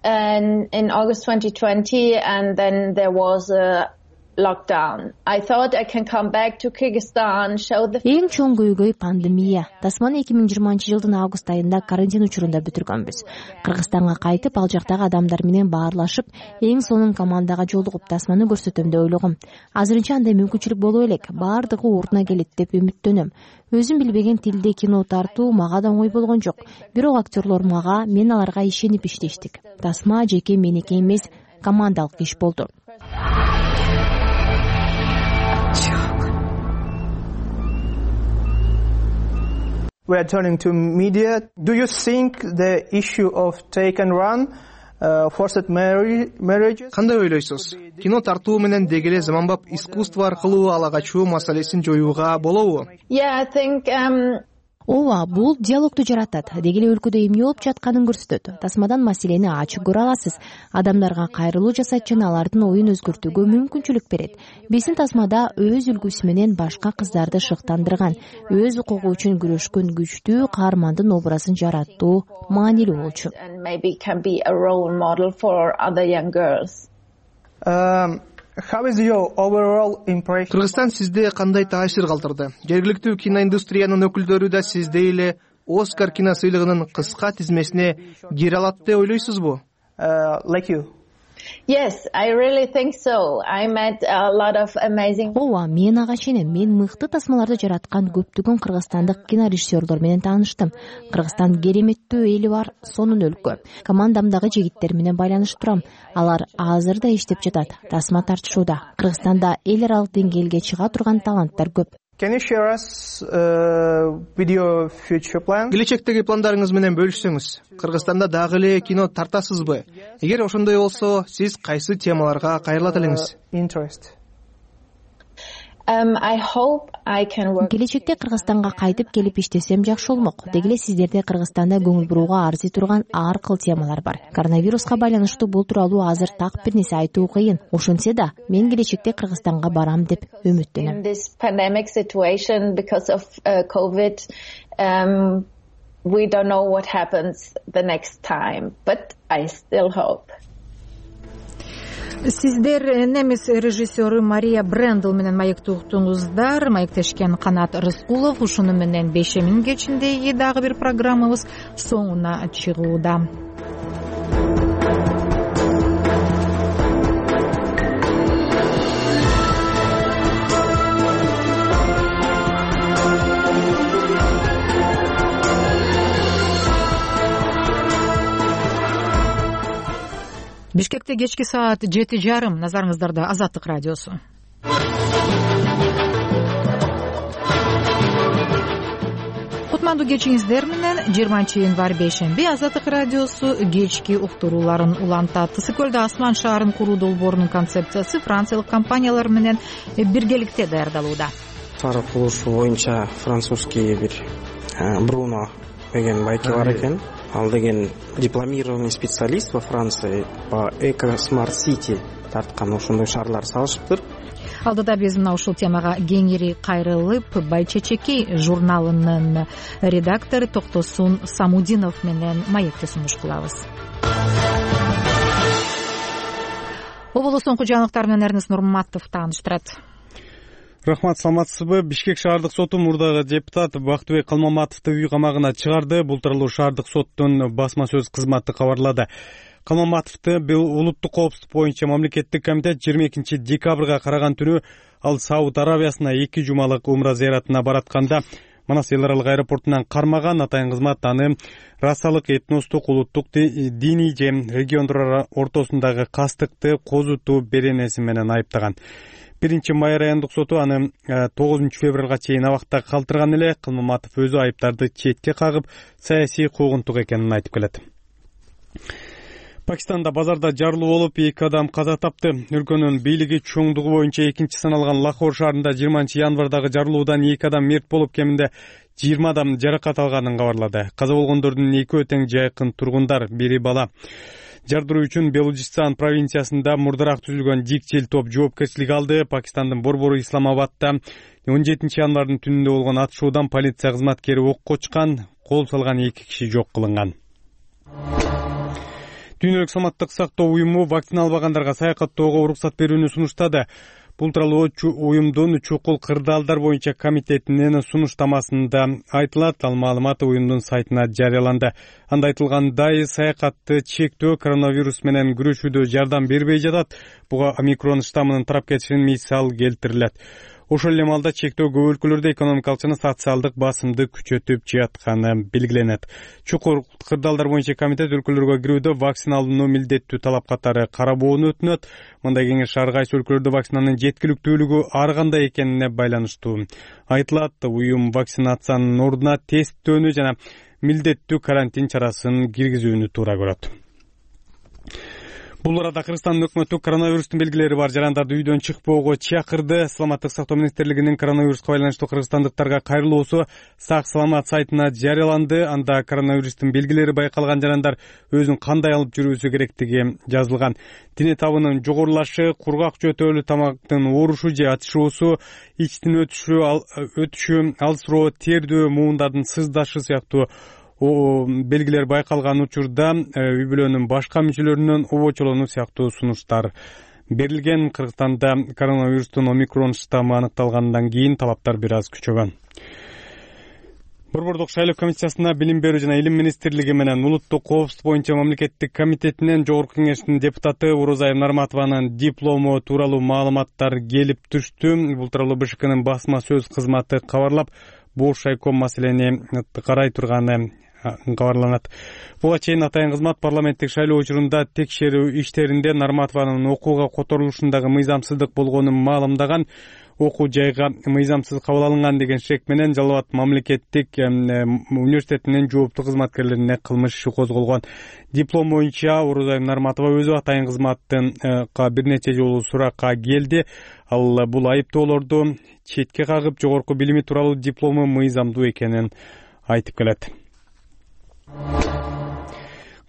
in August 2020 and then there was a lockdown. I thought I can come back to Kyrgyzstan, show the... Эң чоң көйгөй пандемия. Тасманы 2020-жылдын август айында карантин учурунда бүтүргөнбүз. Кыргызстанга кайтып, ал жактагы адамдар менен баарлашып, эң сонун командага жолугуп тасманы көрсөтөм деп ойлогом. Азырынча андай мүмкүнчүлүк боло элек. Баардыгы ордуна келет деп үмүттөнөм. Өзүм билбеген тилде кино тартуу мага да оңой болгон жок. Бирок актерлор мага, мен аларга ишенип иштештик. Тасма жеке меники эмес, командалык иш болду. We are turning to media. Do you think the issue of take and run, forced marriages? Кандай ойлойсуз? Кино тартуу менен дегеле заманбап искусство аркылуу ала качуу маселесин жоюуга болобу? Yeah, I think Ооба, бул диалогду жаратат. Дегеле өлкөдө эмне болуп жатканын көрсөтөт. Тасмадан маселени ачык көрө аласыз. Адамдарга кайрылуу жасайт жана алардын оюн өзгөртүүгө мүмкүнчүлүк берет. Биздин тасмада өз үлгүсү менен башка кыздарды шыктандырган, өз укугу үчүн күрөшкөн күчтүү каармандын образын жараттуу маанилүү болчу. And maybe can be a role model for other young girls. How is your overall impression? Кыргызстан сизде кандай таасир калтырды? Жергиликтүү киноиндустриянын өкүлдөрү да сиздей эле Оскар кино сыйлыгынын кыска тизмесине кире алат деп ойлойсузбу? Like you. Yes, I really think so. I met a lot of amazing... Ооба, мен ага ишенем. Мен мыкты тасмаларды жараткан көптөгөн кыргызстандык кинорежиссерлор менен тааныштым. Кыргызстан кереметтүү эли бар, сонун өлкө. Командамдагы жигиттер менен байланышып турам. Алар азыр да иштеп жатат, тасма тартышууда. Кыргызстанда эл аралык деңгээлге чыга турган таланттар көп. Can you share us with your future plan? Келечектеги пландарыңыз менен бөлүшсөңүз. Кыргызстанда дагы эле кино тартасызбы? Эгер ошондой болсо, сиз кайсы темаларга кайрылат элеңиз? Interest. I hope I can work. Келечекте Кыргызстанга кайтып келип иштесем жакшы болмок. Дегеле сиздерде Кыргызстанда көңүл бурууга арзый турган ар кыл темалар бар. Коронавируска байланыштуу бул тууралуу азыр так бир нерсе айтуу кыйын. Ошентсе да, мен келечекте Кыргызстанга барам деп үмүттөнөм. In this pandemic situation because of COVID, we don't know what happens the next time, but I still hope. Сиздер немис режиссеры Мария Брендл менен маектоктуңуздар. Маектешкен Канат Рыскулов. Ушуну менен 5-миң кечинде дагы бир программабыз соңуна чыгууда. Бишкекте кечки саат 7:30. Назарыңыздарда Азаттык радиосу. Кутмандуу кечиңиздер менен 20-январь бейшемби Азаттык радиосу кечки уктурууларын улантат. Ысык-Көлдө асман шаарын куруу долбоорунун концепциясы франциялык компаниялар менен биргеликте даярдалууда. Шаар курулушу боюнча французский бир Бруно деген байке бар экен. Ал деген дипломированный специалист во Франции по Eco Smart City тарткан ошондой шаарлар салышыптыр. Алдыда биз мына ушул темага кеңири кайрылып, Байчечекей журналынын редактору Токтосун Самудинов менен маекти сунуш кылабыз. Облус соңку жаңылыктар менен Эрнест Нурматов тааныштырат. Рахмат, саламатсызбы? Бишкек шаардык соту мурдагы депутат Бактыбек Калмаматовду үй камагына чыгарды. Бул тууралуу шаардык соттун басма сөз кызматы кабарлады. Калмаматовду улуттук коопсуздук боюнча мамлекеттик комитет 22 декабрга караган түнү ал Сауд Аравиясына 2 жумалык умра зыяратына баратканда Манас эл аралык аэропортунан кармаган. Атайын кызмат аны расалык, этностук, улуттук, диний же региондор ортосундагы кастыкты козутуу беренеси менен айыптаган. 1-май райондук соту аны 9 февралга чейин абакта калтырган эле. Калмаматов өзү айыптарды четке кагып, саясий куугунтук экенин айтып келет. Пакистанда базарда жарылуу болуп 2 адам каза тапты. Өлкөнүн бийлиги чоңдугу боюнча 2 саналган Лахор шаарында 20-январдагы жарылуудан 2 адам мерт болуп, кеминде 20 адам жаракат алганын кабарлады. Каза болгондордун 2 тең жайкын тургундар, бири бала. Жардыруу үчүн Белужистан провинциясында мурдараак түзүлгөн дикчил топ жоопкерчилик алды. Пакистандын борбору Исламабадда 17-январдын түнүндө болгон атышуудан полиция кызматкери окко чыккан, кол салган 2 киши жок кылынган. Дүйнөлүк саламаттык сактоо уюму вакцина албагандарга саякаттоого уруксат берүүнү сунуштады. Бул тууралуу уюмдун чукул кырдаалдар боюнча комитетинин сунуштамасында айтылат. Ал маалымат уюмдун сайтына жарыяланды. Анда айтылгандай, саякатты чектөө коронавирус менен күрөшүүдө жардам бербей жатат. Буга омикрон штаммынын тарап кетишинин мисал келтирилет. Ошол эле маалда чектөө көп өлкөлөрдө экономикалык жана социалдык басымды күчөтүп жатканы белгиленет. Чукул кырдаалдар боюнча комитет өлкөлөргө кирүүдө вакцина алууну милдеттүү талап катары карабоону өтүнөт. Мындай кеңеш ар кайсы өлкөлөрдө вакцинанын жеткиликтүүлүгү ар кандай экенине байланыштуу. Айтылат, уюм вакцинациянын ордуна тесттөөнү жана милдеттүү карантин чарасын киргизүүнү туура көрөт. Бул арада Кыргызстандын өкмөтү коронавирустун белгилери бар жарандарды үйдөн чыкпоого чакырды. Саламаттык сактоо министрлигинин коронавируска байланыштуу кыргызстандыктарга кайрылуусу Сак саламат сайтына жарыяланды. Анда коронавирустун белгилери байкалган жарандар өзүн кандай алып жүрүүсү керектиги жазылган. Дене табынын жогорулашы, кургак жөтөлүү, тамактын оорушу же ачышуусу, ичтин өтүшү, алсыроо, тердөө, муундардын сыздашы сыяктуу белгилер байкалган учурда үй бүлөнүн башка мүчөлөрүнөн обочолонуу сыяктуу сунуштар берилген. Кыргызстанда коронавирустун омикрон штаммы аныкталгандан кийин талаптар бир аз күчөгөн. Борбордук шайлоо комиссиясына билим берүү жана илим министрлиги менен улуттук коопсуздук боюнча мамлекеттик комитетинен жогорку кеңештин депутаты Орозай Нарматованын диплому тууралуу маалыматтар келип түштү. Бул тууралуу БШКнын басма сөз кызматы кабарлап, бош шайком маселени карай турганы кабарланат. Буга чейин атайын кызмат парламенттик шайлоо учурунда текшерүү иштеринде Нарматованын окууга которулушундагы мыйзамсыздык болгонун маалымдаган. Окуу жайга мыйзамсыз кабыл алынган деген шек менен Жалал Абад мамлекеттик университетинин жооптуу кызматкерлерине кылмыш иши козголгон. Диплом боюнча Орозай Нарматова өзү атайын кызматтын бир нече жолу суракка келди. Ал бул айыптоолорду четке кагып, жогорку билими тууралуу диплому мыйзамдуу экенин айтып келет.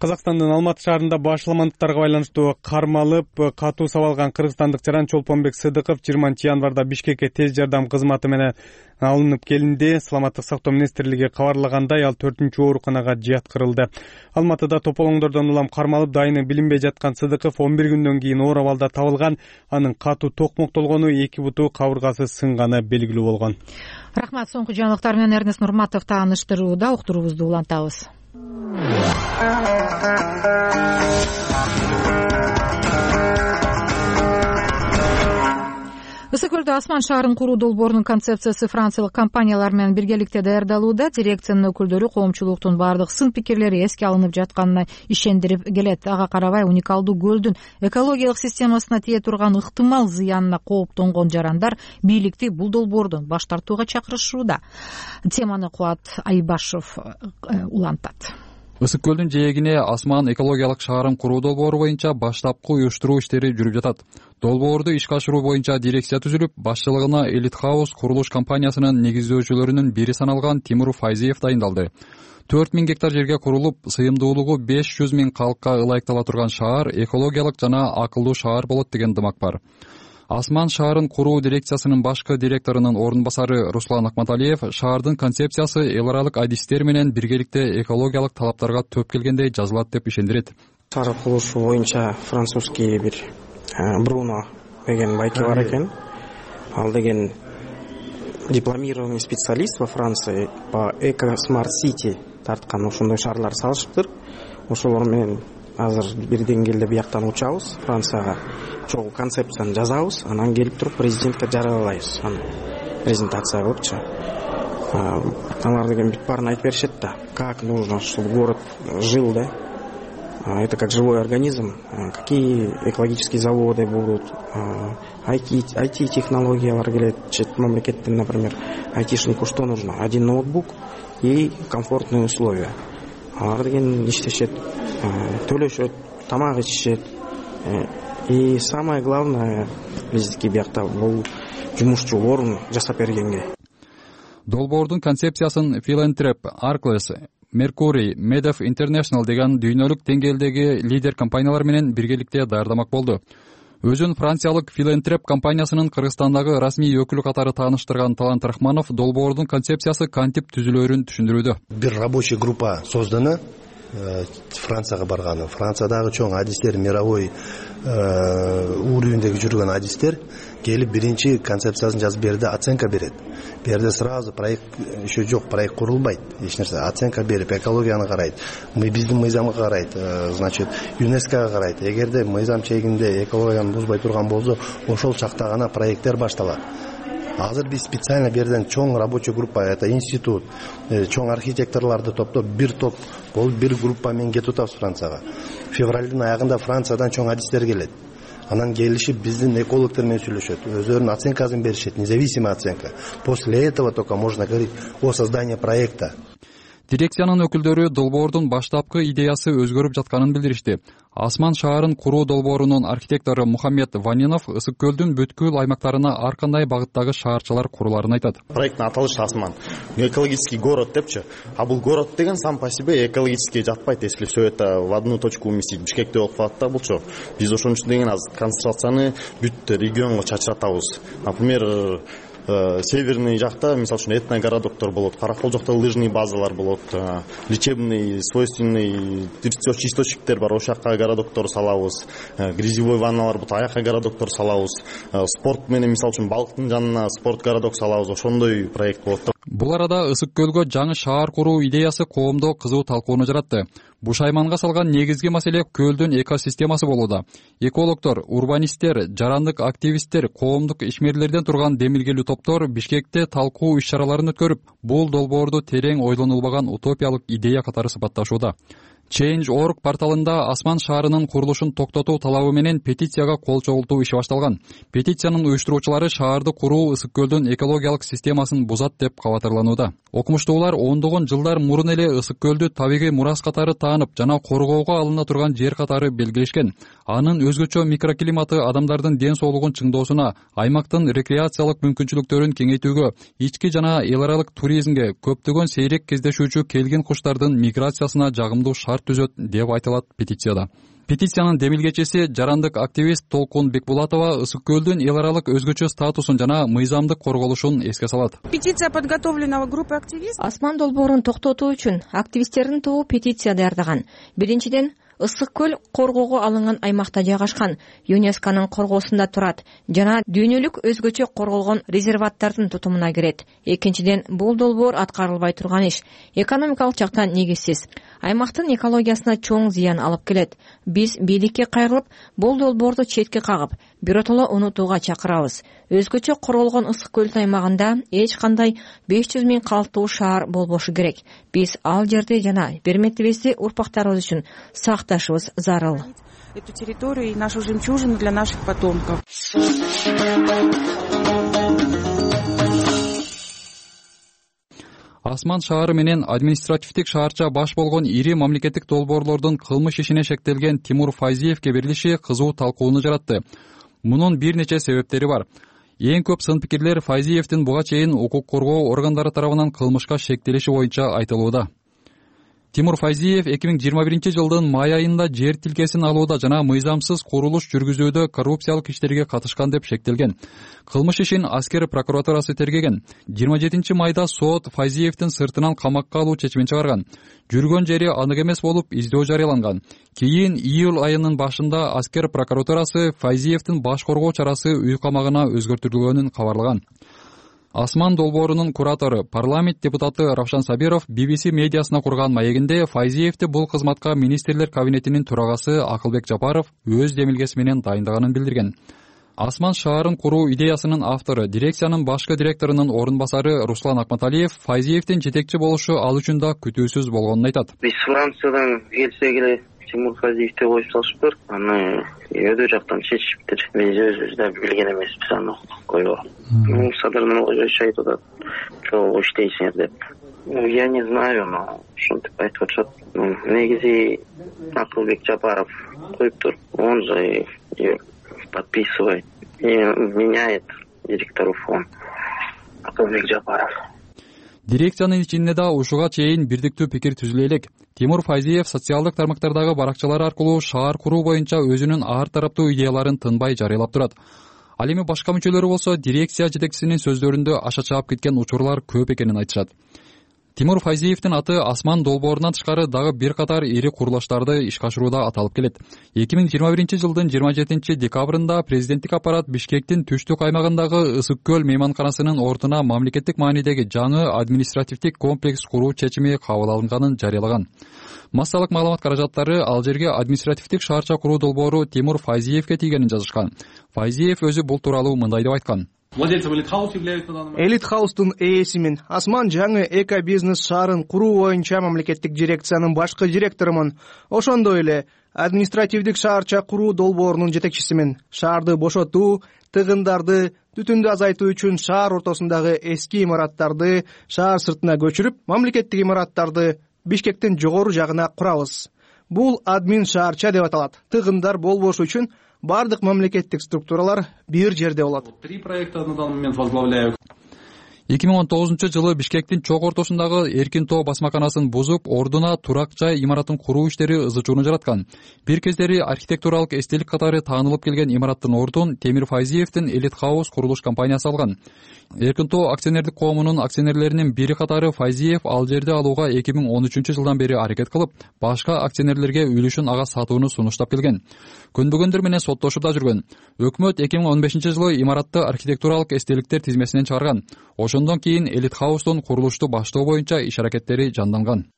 Казакстандын Алматы шаарында башаламандыктарга байланыштуу кармалып, катуу сабалган кыргызстандык жаран Чолпонбек Сыдыков 20-январда Бишкекке тез жардам кызматы менен алынып келинди. Саламаттык сактоо министрлиги кабарлагандай, ал 4-чү ооруканага жаткырылды. Алматыда тополоңдордон улам кармалып, дайыны билинбей жаткан Сыдыков 11 күндөн кийин оор абалда табылган. Анын катуу токмоктолгону, 2 буту кабыргасы сынганы белгилүү болгон. Рахмат. Соңку жаңылыктар менен Эрнест Нурматов тааныштырууда. Уктуруубузду улантабыз. Ысык-Көлдө учурда Асман шаарын куруу долбоорунун концепциясы франциялык компаниялар менен биргеликте даярдалууда. Дирекциянын өкүлдөрү коомчулуктун баардык сын-пикирлери эске алынып жатканына ишендирип келет. Ага карабай уникалдуу көлдүн экологиялык системасына тие турган ыктымал зыянына кооптонгон жарандар бийликти бул долбоордон баш тартууга чакырышууда. Теманы Кубат Айбашев улантат. Ысык көлдүн жээгине Асман экологиялык шаарын куруу долбоору боюнча баштапкы уюштуруу иштери жүрүп жатат. Долбоорду ишке ашыруу боюнча дирекция түзүлүп, башчылыгына Элит Хаус курулуш компаниясынын негиздөөчүлөрүнүн бири саналган Тимур Файзиев дайындалды. 4000 гектар жерге курулуп, сыйымдуулугу 500 000 калкка ылайыктала турган шаар экологиялык жана акылдуу шаар болот деген дымак бар. Асман шаарын куруу дирекциясынын башкы директорунун орун басары Руслан Акматалиев шаардын концепциясы эл аралык адистер менен биргеликте экологиялык талаптарга төп келгендей жазылат деп ишендирет. Шаар курулушу боюнча французский бир Бруно деген байке бар экен. Ал деген дипломированный специалист во Франции по Eco Smart City тарткан ошондой шаарлар салышыптыр. Ошолор менен азыр бир деңгээлде бияктан учабыз, Францияга чогуу концепцияны жазабыз, анан келип туруп президентке жарыялайбыз. Презентация кылыпчы. Алар деген бүт баарын айтып беришет да, как нужно, чтобы город жил, да. Это как живой организм, какие экологические заводы будут, IT-технологиялар келет, мамлекеттен, например, айтишнику что нужно? Один ноутбук и комфортные условия. Алар деген иштешет, төлөшөт, тамак ичишет. И самое главное, биздики биякта бул жумушчу орун жасап бергенге. Долбоордун концепциясын Philanthroп, Arcles, Mercury, Medef International деген дүйнөлүк деңгээлдеги лидер компаниялар менен биргеликте даярдамак болду. Өзүн франциялык Philanthroп компаниясынын Кыргызстандагы расмий өкүлү катары тааныштырган Талант Рахманов долбоордун концепциясы кантип түзүлөрүн түшүндүрүүдө. Бир рабочий группа создана. Францияга барганы. Франциядагы чоң адистер, мировой уровендеги жүргөн адистер келип биринчи концепциясын жазып берди, оценка берет. Берде сразу проект еще жок, проект курулбайт, эч нерсе. Оценка берип, экологияны карайт, биздин мыйзамга карайт, значит, ЮНЕСКОга карайт. Эгерде мыйзам чегинде экологияны бузбай турган болсо, ошол чакта гана проекттер башталат. Азыр биз специально берден чоң рабочий группа, это институт, чоң архитекторларды топтоп, бир топ болуп, бир группа менен кетип атабыз Францияга. Февралдын аягында Франциядан чоң адистер келет. Анан келишип биздин экологдор менен сүйлөшөт, өздөрүнүн оценкасын беришет, независимая оценка. После этого только можно говорить о создании проекта. Дирекциянын өкүлдөрү долбоордун баштапкы идеясы өзгөрүп жатканын билдиришти. Асман шаарын куруу долбоорунун архитектору Мухаммед Ванинов ысык көлдүн бүткүл аймактарына ар кандай багыттагы шаарчалар куруларын айтат. Проекттин аталышы Асман. Экологический город депчи. А бул город деген сам по себе экологически жатпайт, если все это в одну точку уместить. Бишкекте болуп калат да булчу. Биз ошон үчүн деген аз концентрацияны бүт регионго чачыратабыз. Например, северный жакта, мисалы үчүн этногородоктор болот, Каракол жакта лыжный базалар болот, лечебный, свойственный источниктер бар, ошол жака городоктор салабыз, грязевой ванналар болот, аяка городоктор салабыз, спорт менен мисалы үчүн балыктын жанына спорт городок салабыз, ошондой проект болот. Бул арада ысык көлгө жаңы шаар куруу идеясы коомдо кызуу талкууну жаратты. Бушайманга салган негизги маселе көлдүн экосистемасы болууда. Экологдор, урбанисттер, жарандык активисттер, коомдук ишмерлерден турган демилгелүү топтор Бишкекте талкуу иш-чараларын өткөрүп, бул долбоорду терең ойлонулбаган утопиялык идея катары сыпатташууда. Change.org порталында Асман шаарынын курулушун токтотуу талабы менен петицияга кол чогултуу иши башталган. Петициянын уюштуруучулары шаарды куруу ысык көлдүн экологиялык системасын бузат деп кабатырланууда. Окумуштуулар ондогон жылдар мурун эле ысык көлдү табигый мурас катары таанып жана коргоого алына турган жер катары белгилешкен. Анын өзгөчө микроклиматы адамдардын ден соолугун чыңдоосуна, аймактын рекреациялык мүмкүнчүлүктөрүн кеңейтүүгө, ички жана эл аралык туризмге, көптөгөн сейрек кездешүүчү келгин куштардын миграциясына жагымдуу шарт түзөт деп айтылат петицияда. Петициянын демилгечиси жарандык активист Толкун Бекбулатова ысык көлдүн эл аралык өзгөчө статусун жана мыйзамдык корголушун эске салат. Петиция подготовлена группой активистов. Асман долбоорун токтотуу үчүн активисттердин тобу петиция даярдаган. Биринчиден, Ысык көл коргоого алынган аймакта жайгашкан, ЮНЕСКОнун коргоосунда турат жана дүйнөлүк өзгөчө корголгон резерваттардын тутумуна кирет. Экинчиден, бул долбоор аткарылбай турган иш. Экономикалык жактан негизсиз. Аймактын экологиясына чоң зыян алып келет. Биз бийликке кайрылып, бул долбоорду четке кагып, биротоло унутууга чакырабыз. Өзгөчө корголгон ысык көл аймагында эч кандай 500 000 калктуу шаар болбошу керек. Биз ал жерди жана берметибизди урпактарыбыз үчүн сакташыбыз зарыл. Эту территорию и нашу жемчужину для наших потомков. Асман шаары менен административдик шаарча баш болгон ири мамлекеттик долбоорлордун кылмыш ишине шектелген Тимур Файзиевке берилиши кызуу талкууну жаратты. Мунун бир нече себептери бар. Эң көп сын пикирлер Файзиевдин буга чейин укук коргоо органдары тарабынан кылмышка шектелиши боюнча айтылууда. Тимур Файзиев 2021 жылдын май айында жер тилкесин алууда жана мыйзамсыз курулуш жүргүзүүдө коррупциялык иштерге катышкан деп шектелген. Кылмыш ишин аскер прокуратурасы тергеген. 27 майда сот Файзиевдин сыртынан камакка алуу чечимин чыгарган. Жүргөн жери анык эмес болуп издөө жарыяланган. Кийин июль айынын башында аскер прокуратурасы Файзиевдин баш коргоо чарасы үй камагына өзгөртүлгөнүн кабарлаган. Асман долбоорунун куратору, парламент депутаты Равшан Сабиров BBC медиасына курган маегинде Файзиевди бул кызматка министрлер кабинетинин төрагасы Акылбек Жапаров өз демилгеси менен дайындаганын билдирген. Асман шаарын куруу идеясынын автору, дирекциянын башкы директорунун орун басары Руслан Акматалиев Файзиевдин жетекчи болушу ал үчүн да күтүүсүз болгонун айтат. Биз Франциядан келсек эле Тимур Файзиевди коюп салышыптыр. Аны өйдө жактан чечишиптир. Биз өзүбүз да билген эмеспиз аны коюп. Садырынан ойшойт атат. Чогуу иштейсиңер деп. Я не знаю, но ушинтип айтып атышат. Негизи Акылбек Жапаров коюптур. Он же подписывает и меняет директору фон. Акылбек Жапаров. Дирекциянын ичинде да ушуга чейин бирдиктүү пикир түзүлө элек. Тимур Файзиев социалдык тармактардагы баракчалар аркылуу шаар куруу боюнча өзүнүн ар тараптуу идеяларын тынбай жарыялап турат. Ал эми башка мүчөлөрү болсо дирекция жетекчисинин сөздөрүндө аша чаап кеткен учурлар көп экенин айтышат. Тимур Файзиевдин аты Асман долбоорунан тышкары дагы бир катар ири курулуштарды ишке ашырууда аталып келет. 2021 жылдын 27 декабрында президенттик аппарат Бишкектин түштүк аймагындагы Ысык көл мейманканасынын ордуна мамлекеттик маанидеги жаңы административдик комплекс куруу чечими кабыл алынганын жарыялаган. Массалык маалымат каражаттары ал жерге административдик шаарча куруу долбоору Тимур Файзиевке тийгенин жазышкан. Файзиев өзү бул тууралуу мындай деп айткан. Элит хаустун ээсимин. Асман жаңы эко-бизнес шаарын куруу боюнча мамлекеттик дирекциянын башкы директорумун. Ошондой эле административдик шаарча куруу долбоорунун жетекчисимин. Шаарды бошотуу, тыгындарды, түтүндү азайтуу үчүн шаар ортосундагы эски имараттарды шаар сыртына көчүрүп, мамлекеттик имараттарды Бишкектин жогору жагына курабыз. Бул админ шаарча деп аталат. Тыгындар болбошу үчүн бардык мамлекеттик структуралар бир жерде болот. 3 проекта на данный момент возглавляю. 2019 жылы Бишкектин чок ортосундагы Эркин тоо басмаканасын бузуп, ордуна турак жай имаратын куруу иштери ызы-чууну жараткан. Бир кездери архитектуралык эстелик катары таанылып келген имараттын ордун Темир Файзиевдин Элит Хаус курулуш компаниясы алган. Эркин тоо акционердик коомунун акционерлеринин бири катары Файзиев ал жерди алууга 2013 жылдан бери аракет кылып, башка акционерлерге үлүшүн ага сатууну сунуштап келген. Көнбөгөндөр менен соттошуп да жүргөн. Өкмөт 2015 жылы имаратты архитектуралык эстеликтер тизмесинен чыгарган. Ошондон кийин Элит Хаустун курулушту баштоо боюнча иш аракеттери жанданган.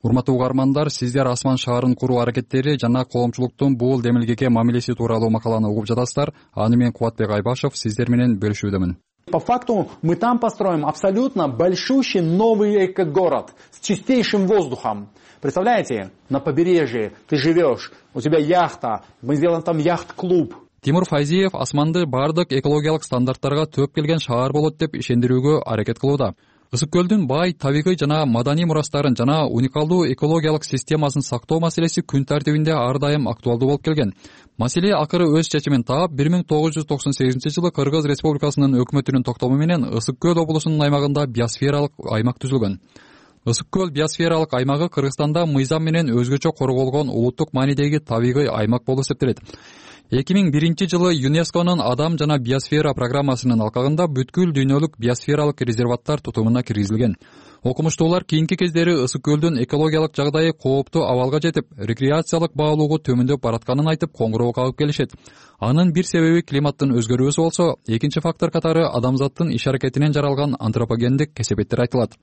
Урматтуу угармандар, сиздер Асман шаарын куруу аракеттери жана коомчулуктун бул демилгеге мамилеси тууралуу макаланы угуп жатасыздар. Аны мен Кубатбек Айбашев сиздер менен бөлүшүүдөмүн. По факту мы там построим абсолютно большущий новый эко-город с чистейшим воздухом. Представляете, на побережье ты живешь, у тебя яхта, мы сделаем там яхт-клуб. Тимур Файзиев Асманды бардык экологиялык стандарттарга төөп келген шаар болот деп ишендирүүгө аракет кылууда. Ысык көлдүн бай табигый жана маданий мурастарын жана уникалдуу экологиялык системасын сактоо маселеси күн тартибинде ар дайым актуалдуу болуп келген. Маселе акыры өз чечимин таап, 1998 жылы Кыргыз Республикасынын өкмөтүнүн токтому менен Ысык көл облусунун аймагында биосфералык аймак түзүлгөн. Ысык көл биосфералык аймагы Кыргызстанда мыйзам менен өзгөчө корголгон улуттук маанидеги табигый аймак болуп эсептелет. 2001-жылы ЮНЕСКОнун Адам жана биосфера программасынын алкагында бүткүл дүйнөлүк биосфералык резерваттар тутумуна киргизилген. Окумуштуулар кийинки кездери ысык көлдүн экологиялык жагдайы кооптуу абалга жетип, рекреациялык баалоого төмөндөп баратканын айтып коңгуроо кагып келишет. Анын бир себеби климаттын өзгөрүүсү болсо, экинчи фактор катары адамзаттын иш-аракетинен жаралган антропогендик кесепеттер айтылат.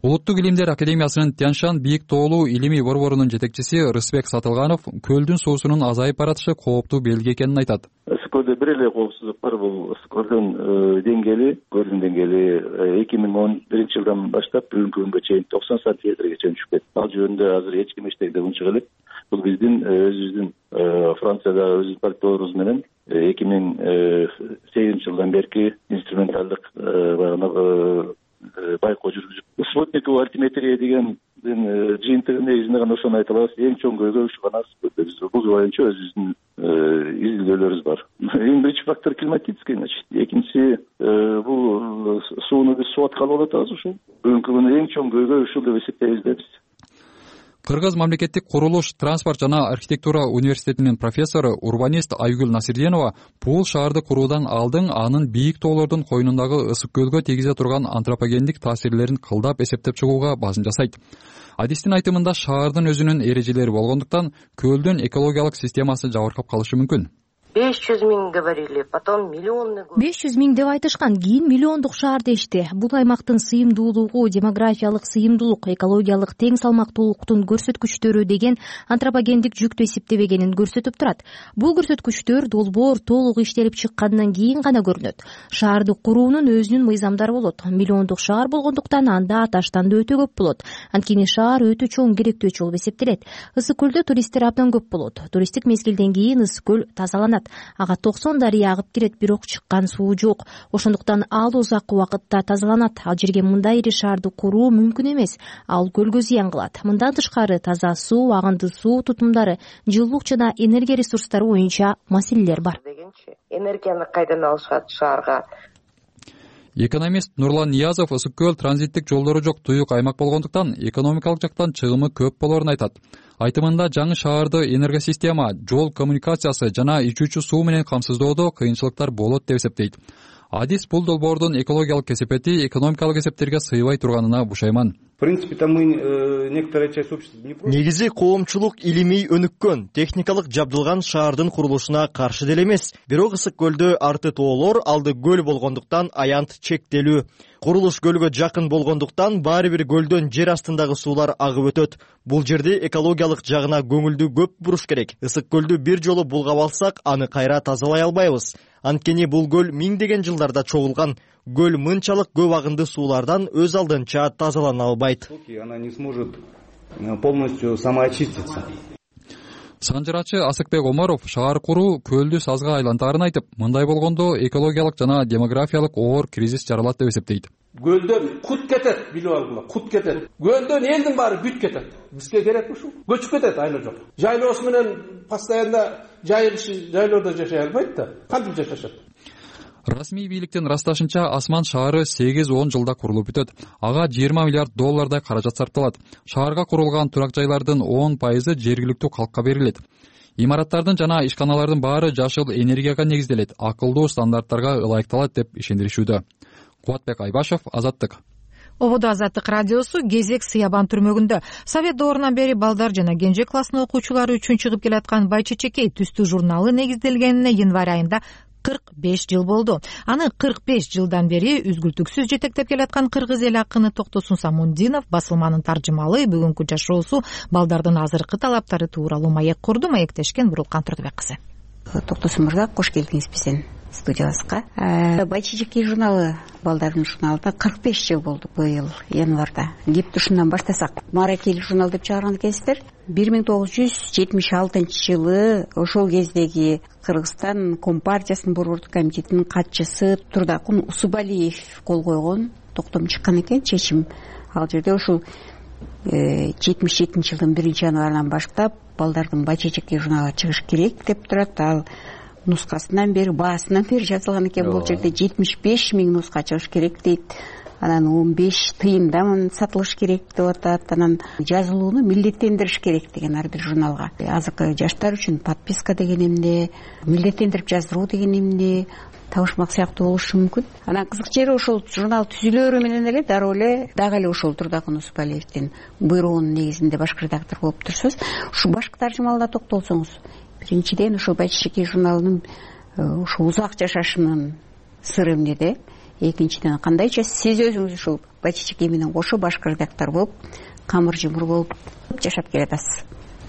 Улуттук илимдер академиясынын Тяньшан бийик тоолуу илимий борборунун жетекчиси Рысбек Сатылганов көлдүн суусунун азайып баратышы кооптуу белги экенин айтат. Ысык көлдө бир эле коопсуздук бар, бул ысык көлдүн деңгээли 2011 жылдан баштап бүгүнкү күнгө чейин 90 сантиметрге чейин түшүп кетти. Ал жөнүндө азыр эч ким эчтеке унчук элек. Бул биздин өзүбүздүн Франциядагы өзүбүздүн партнерибиз менен 2008 жылдан берки инструменталдык байкоо жүргүзүп, спутниковый альтиметрия деген жыйынтыгы негизинде гана ошону айта алабыз. Эң чоң көйгөй ушу гана биз бул боюнча өзүбүздүн изилдөөлөрүбүз бар. Эң биринчи фактор климатический, значит. Экинчиси бул сууну биз суу аткалы болуп атабыз ушул. Бүгүнкү күндө эң чоң көйгөй ушул деп эсептейбиз да биз. Кыргыз мамлекеттик курулуш, транспорт жана архитектура университетинин профессору, урбанист Айгүл Насирденова бул шаарды куруудан алдын анын бийик тоолордун койнундагы ысык көлгө тийгизе турган антропогендик таасирлерин кылдап эсептеп чыгууга басын жасайт. Адистин айтымында шаардын өзүнүн эрежелери болгондуктан көлдүн экологиялык системасы жабыркап калышы мүмкүн. 500 000 говорили, потом миллионный. 500 000 деп айтышкан, кийин миллиондук шаар дешти. Бул аймактын сыйымдуулугу, демографиялык сыйымдуулук, экологиялык тең салмактуулуктун көрсөткүчтөрү деген антропогендик жүктү эсептебегенин көрсөтүп турат. Бул көрсөткүчтөр долбоор толук иштелип чыккандан кийин гана көрүнөт. Шаарды куруунун өзүнүн мыйзамдары болот. Миллиондук шаар болгондуктан анда таштан да өтө көп болот. Анткени шаар өтө чоң керектөөчү болуп эсептелет. Ысык көлдө туристтер абдан көп болот. Туристтик мезгилден кийин ысык көл тазаланат. Ага 90 дарыя агып кирет, бирок чыккан суу жок. Ошондуктан ал узак убакытта тазаланат. Ал жерге мындай ири шаарды куруу мүмкүн эмес. Ал көлгө зыян кылат. Мындан тышкары таза суу, агынды суу тутумдары, жылуулук жана энергия ресурстары боюнча маселелер бар. Энергияны кайдан алышат шаарга? Экономист Нурлан Ниязов ысык көл транзиттик жолдору жок туюк аймак болгондуктан экономикалык жактан чыгымы көп болорун айтат. Айтымында жаңы шаарды энергосистема, жол коммуникациясы жана ичүүчү суу менен камсыздоодо кыйынчылыктар болот деп эсептейт. Адис бул долбоордун экологиялык кесепети экономикалык эсептерге сыйбай турганына бушайман. В принципе, мы некоторая часть общества не против. Негизи коомчулук илимий өнүккөн, техникалык жабдылган шаардын курулушуна каршы деле эмес. Бирок ысык көлдө арты тоолор, алды көл болгондуктан аянт чектелүү. Курулуш көлгө жакын болгондуктан баары бир көлдөн жер астындагы суулар агып өтөт. Бул жерде экологиялык жагына көңүлдү көп буруш керек. Ысык көлдү бир жолу булгап алсак, аны кайра тазалай албайбыз. Анткени бул көл миңдеген жылдарда чогулган. Көл мынчалык көп агынды суулардан өз алдынча тазалана албайт. Она не сможет полностью самоочиститься. Санжырачы Асыкбек Омаров шаар куруу көлдү сазга айлантаарын айтып, мындай болгондо экологиялык жана демографиялык оор кризис жаралат деп эсептейт. Көлдөн кут кетет, билип алгыла, кут кетет. Көлдөн элдин баары бүт кетет. Бизге керекпи ушул? Көчүп кетет айла жок. Жайлоосу менен постоянно жайлоодо жашай албайт да. Кантип жашашат? Расмий бийликтин ырасташынча Асман шаары 8-10 жылда курулуп бүтөт. Ага $20 миллиард каражат сарпталат. Шаарга курулган турак жайлардын 10% жергиликтүү калкка берилет. Имараттардын жана ишканалардын баары жашыл энергияга негизделет, акылдуу стандарттарга ылайыкталат деп ишендиришүүдө. Кубатбек Айбашев, Азаттык. Ободо Азаттык радиосу кезек Сыябан түрмөгүндө. Совет доорунан бери балдар жана кенже класстын окуучулары үчүн чыгып келаткан Байчечекей түстүү журналы негизделгенине январь айында 45 жыл болду. Аны 45 жылдан бери үзгүлтүксүз жетектеп келаткан кыргыз эл акыны Токтосун Самундинов басылманын таржымалы бүгүнкү жашоосу балдардын азыркы талаптары тууралуу маек курду. Маектешкен Бурулкан Турдубек кызы. Токтосун мырза, кош келдиңиз биздин студиябызга. Байчечекей журналы балдардын журналында 45 жыл болду быйыл январда. Кепти ушундан баштасак, Маракел журнал деп чыгарган экенсиздер. 1976 жылы ошол кездеги Кыргызстан Компартиясынын борбордук комитетинин катчысы Турдакун Усубалиев кол койгон токтом чыккан экен, чечим. Ал жерде ушул 77 жылдын 1-январынан баштап балдардын Байчечекей журналы чыгыш керек деп турат. Ал нускасынан бери, баасынан бери жазылган экен. Бул жерде 75 000 нуска чыгыш керек дейт. анан 15 тыйындамын сатылыш керек деп атат. Анан жазылууну милдеттендириш керек деген ар бир журналга. Азыркы жаштар үчүн подписка деген эмне, милдеттендирип жаздыруу деген эмне табышмак сыяктуу болушу мүмкүн. Анан кызык жери ошол журнал түзүлөрү менен эле дароо эле дагы эле ошол Турдакын Усупалиевдин буйругунун негизинде баш редактор болуп турсуз. Ушу башкы таржымалда токтолсоңуз, биринчиден ошол Байчечекей журналынын ушул узак жашашынын сыры эмнеде? Экинчиден кандайча сиз өзүңүз ушул Байчечекей менен кошо башкы редактор болуп, камыр жумур болуп жашап келатасыз?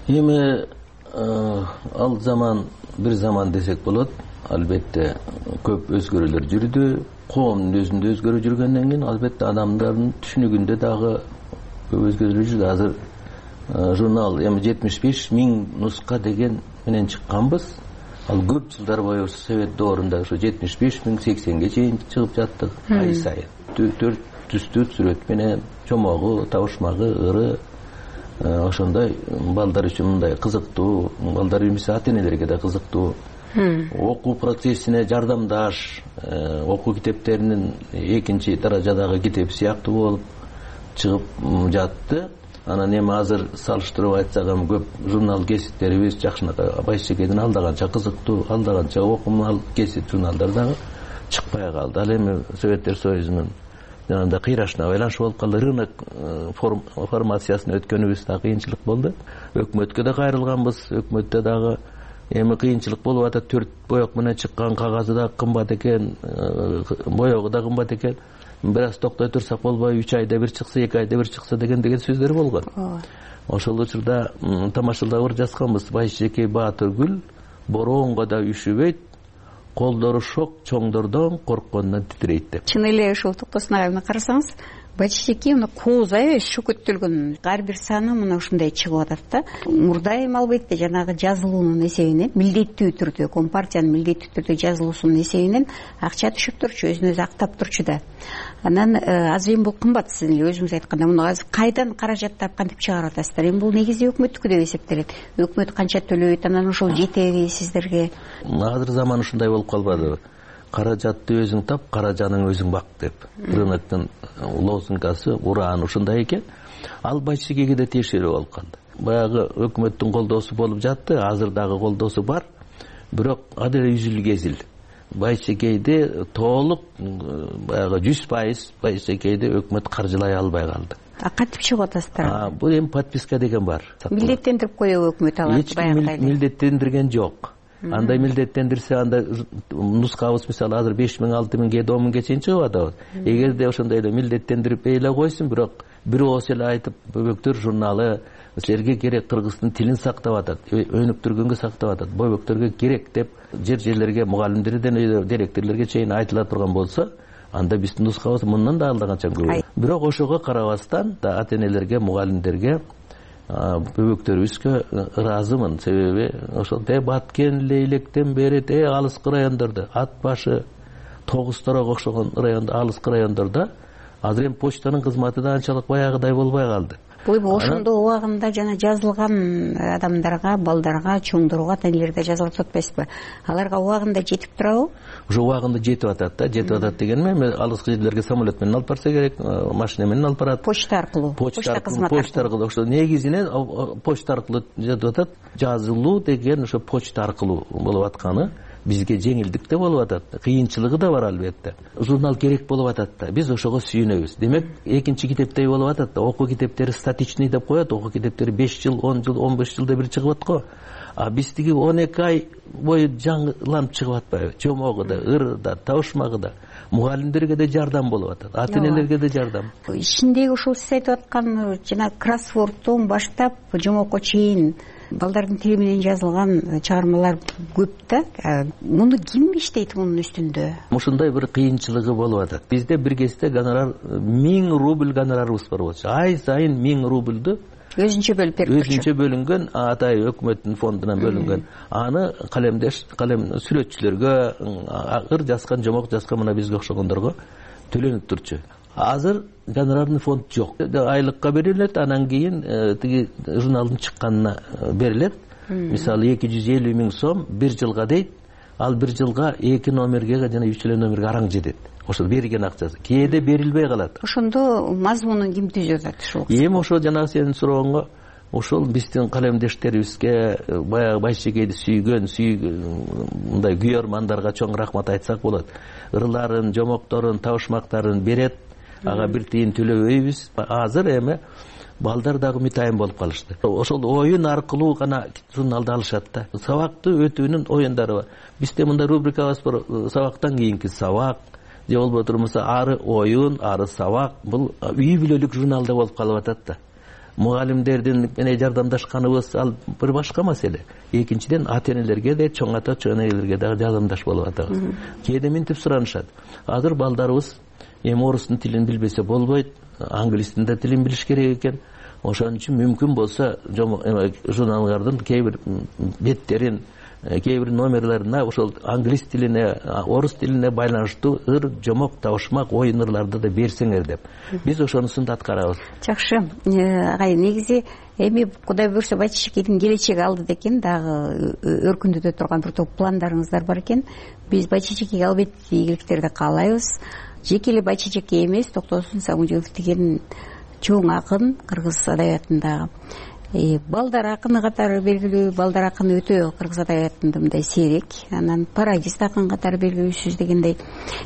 Эми ал заман бир заман десек болот. Албетте көп өзгөрүүлөр жүрдү. Коомдун өзүндө өзгөрүп жүргөндөн кийин албетте адамдардын түшүнүгүндө дагы көп өзгөрүү жүрдү. Азыр журнал эми 75 миң нуска деген менен чыкканбыз. Ал көп жылдар бою Совет доорунда ошо 75 миң 80ге чейин чыгып жаттык. Ай сайын 4 түстүү сүрөт менен чомогу, табышмагы, ыры ошондой балдар үчүн мындай кызыктуу, балдар эмесе ата-энелерге да кызыктуу. Окуу процессине жардамдаш, окуу китептеринин экинчи даражадагы китеп сыяктуу болуп чыгып жатты. Анан эми азыр салыштырып айтсак эми көп журнал кесиптерибиз жакшынакай Байчечекейдин алдаганча кызыктуу, алдаганча окумал кесип журналдар дагы чыкпай калды. Ал эми Советтер Союзунун жанагындай кыйрашына байланыш болуп калды. Рынок формациясына өткөнүбүз да кыйынчылык болду. Өкмөткө да кайрылганбыз, өкмөттө дагы эми кыйынчылык болуп атат. 4 боек менен чыккан кагазы да кымбат экен, боегу да кымбат экен. Бир аз токтой турсак болбой, 3 айда бир чыкса, 2 айда бир чыкса деген сөздөр болгон. Ошол учурда тамашалап жазганбыз. Байчечекей Баатыргүл бороонго да үшүбөйт, колдору шок чоңдордон корккондон титирейт деп. Чын эле ушул Токтосун агайны карасаңыз, Байчечекей мына кооз аябай шөкөттөлгөн. Ар бир саны мына ушундай чыгып атат да. Мурда эми албетте жанагы жазылуунун эсебинен, милдеттүү түрдө, Компартиянын милдеттүү түрдө жазылуусунун эсебинен акча түшүп турчу, өзүн өзү актап турчу да. Анан азыр эми бул кымбат, сиз эле өзүңүз айткандай, муну азыр кайдан каражаттап кантип чыгарып атасыздар? Эми бул негизи өкмөттүкү деп эсептелет. Өкмөт канча төлөйт, анан ошол жетеби сиздерге? Азыр заман ушундай болуп калбадыбы? Каражатты өзүң тап, каражаның өзүң бак деп. Рыноктун лозунгасы, урааны ушундай экен. Ал Байчечекейге да тиешелүү болуп калды. Баягы өкмөттүн колдоосу болуп жатты, азыр дагы колдоосу бар. Бирок адил үзүл кезил. Байчечекейди толук баягы 100% Байчечекейди өкмөт каржылай албай калды. Кантип чыгып атасыздар? Бул эми подписка деген бар. Милдеттендирип коебу өкмөт аларды? Эч ким милдеттендирген жок. Андай милдеттендирсе, анда нускабыз мисалы азыр 5000, 6000, 10000 чейин чыгып атабыз. Эгерде ошондой эле милдеттендирип эле койсун, бирок бир ооз эле айтып, бөбөктөр журналы силерге керек, кыргыздын тилин сактап атат, өнүктүргөнгө сактап атат, бөбөктөргө керек деп жерлерге, мугалимдерден директорлорго чейин айтыла турган болсо, анда биздин нускабыз мындан да алдаганча көп. Бирок ошого карабастан да ата-энелерге, мугалимдерге бөбөктөрүбүзгө ыраазымын. Себеби ошол Баткен, Лейлектен бери алыскы райондордо, Ат башы, Тогузторого окшогон райондо, алыскы райондордо азыр эми почтанын кызматы да анчалык баягыдай болбой калды. Ошондо убагында жана жазылган адамдарга, балдарга, чоңдорго, ата-энелерге жазылып атпайсызбы? Аларга убагында жетип турабы? Уже убагында жетип атат да, жетип атат дегеним эми алыскы жерлерге самолет менен алып барса керек, машина менен алып барат. Почта аркылуу. Почта аркылуу. Ошо негизинен почта аркылуу жетип атат. Жазылуу деген ошо почта аркылуу болуп атканы бизге жеңилдик да болуп атат. Кыйынчылыгы да бар албетте. Журнал керек болуп атат да. Биз ошого сүйүнөбүз. Демек, экинчи китептей болуп атат да. Окуу китептери статичный деп коет. Окуу китептери 5 жыл, 10 жыл, 15 жылда бир чыгып аткан. А биздики 12 ай бою жаңыланып чыгып атпайбы? Чомогу да, ыры да, табышмагы да. Мугалимдерге да жардам болуп атат. Ата-энелерге да жардам. Ичиндеги ушул сиз айтып аткан жана кроссвордтон баштап жомокко чейин балдардын тили менен жазылган чыгармалар көп да. Муну ким иштейт мунун үстүндө? Ушундай бир кыйынчылыгы болуп атат. Бизде бир кезде гонорар 1000 рубль гонорарыбыз бар болчу. Ай сайын 1000 рубльду өзүнчө бөлүп берип турчу. Өзүнчө бөлүнгөн, атай өкмөттүн фондунан бөлүнгөн. Аны калем сүрөтчүлөргө, ыр жазган, жомок жазган мына бизге окшогондорго төлөнүп турчу. Азыр гонорарный фонд жок. Айлыкка берилет, анан кийин тиги журналдын чыкканына берилет. Мисалы 250 000 сом 1 жылга дейт. Ал 1 жылга 2 номерге жана 3 номерге араң жетет. ошол берген акчасы кээде берилбей калат. Ошондо мазмунун ким түзүп атат ушул? Эми ошо жанагы сенин сурооңо ошол биздин калемдештерибизге баягы Байшекейди сүйгөн мындай күйөрмандарга чоң рахмат айтсак болот. Ырларын, жомокторун, табышмактарын берет, ага бир тиын төлөбөйбүз. Азыр эми балдар дагы үмүтайым болуп калышты. Ошол оюн аркылуу гана журналды алышат да. Сабакты өтүүнүн оюндары бар. Бизде мындай рубрикабыз бар, сабактан кийинки сабак же болбосо ары оюн, ары сабак. Бул үй бүлөлүк журналда болуп калып атат да. Мугалимдердин менен жардамдашканыбыз ал бир башка маселе. Экинчиден ата-энелерге да, чоң ата, чоң энелерге дагы жардамдаш болуп атабыз. Кээде минтип суранышат. Азыр балдарыбыз эми орустун тилин билбесе болбойт, англистин да тилин билиш керек экен. Ошон үчүн мүмкүн болсо журналдардын кээ бир беттерин, кээ бир номерлерине ошол англис тилине, орус тилине байланыштуу ыр, жомок, табышмак, оюн ырларды да берсеңер деп. Биз ошонусун да аткарабыз. Жакшы. Агай, негизи эми Кудай буюрса Байчешекейдин келечеги алдыда экен, дагы өркүндөтө турган бир топ пландарыңыздар бар экен. Биз Байчешекейге албетте ийгиликтерди каалайбыз. Жеке эле Байчешекей эмес, Токтосун Сагынжоев деген чоң акын кыргыз адабиятындагы. Балдар акыны катары белгилүү, балдар акыны өтө кыргыз адабиятында мындай сейрек, анан пародист акын катары белгилүүсүз дегендей.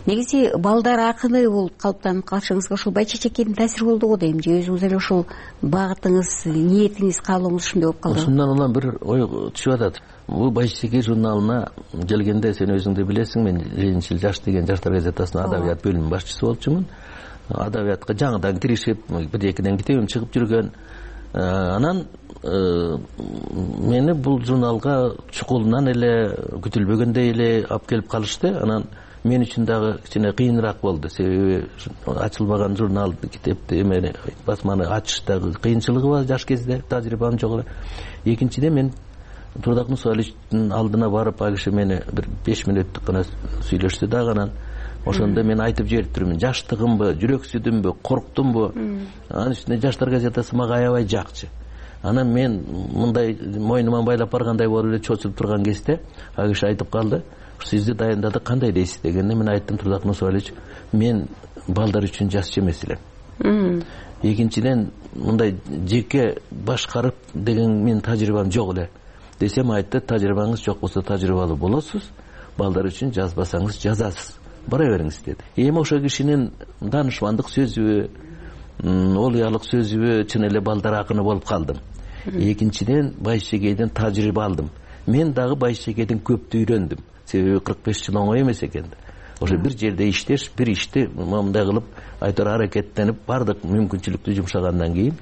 Негизи балдар акыны болуп калыптанып калышыңызга ушул Байчешекейдин таасири болдуго дейм, же өзүңүз эле ушул багытыңыз, ниетиңиз, каалооңуз ушундай болуп калды? Ушундан улам бир ой түшүп атат. Бул Байчешекей журналына келгенде сен өзүң да билесиң, мен Ленинчил жаш деген жаштар газетасынын адабият бөлүмүнүн башчысы болчумун. Адабиятка жаңыдан киришип, бир экиден китебим чыгып жүргөн. Анан мени бул журналга чукулунан эле күтүлбөгөндөй эле алып келип калышты. Анан мен үчүн дагы кичине кыйыныраак болду. Себеби ачылбаган журнал, китепти эмени басманы ачыштагы кыйынчылыгы бар жаш кезде, тажрыйбам жок эле. Экинчиден мен Турдак Мусааличтин алдына барып, ал киши мени бир 5 мүнөттүк гана сүйлөштү дагы. Анан ошондо мен айтып жиберип турмун, жаштыгымбы, жүрөксүдүмбү, корктумбу. Анын үстүнө жаштар газетасы мага аябай жакчы. Анан мен мындай мойнума байлап баргандай болуп эле чочулуп турган кезде ал киши айтып калды, сизди дайындадык, кандай дейсиз дегенде мен айттым, Турдак Мусаалич, мен балдар үчүн жазчу эмес элем. Экинчиден мындай жеке башкарып деген менин тажрыйбам жок эле. Десем айтты, тажрыйбаңыз жок болсо тажрыйбалуу болосуз, балдар үчүн жазбасаңыз жазасыз, бара бериңиз деди. Эми ошол кишинин данышмандык сөзүбү, олуялык сөзүбү чын эле балдар акыны болуп калдым. Экинчиден Байшекейден тажрыйба алдым. Мен дагы Байшекейден көптү үйрөндүм. Себеби 45 жыл оңой эмес экен. Ошо бир жерде иштеш, бир ишти мындай кылып айтор аракеттенип бардык мүмкүнчүлүктү жумшагандан кийин.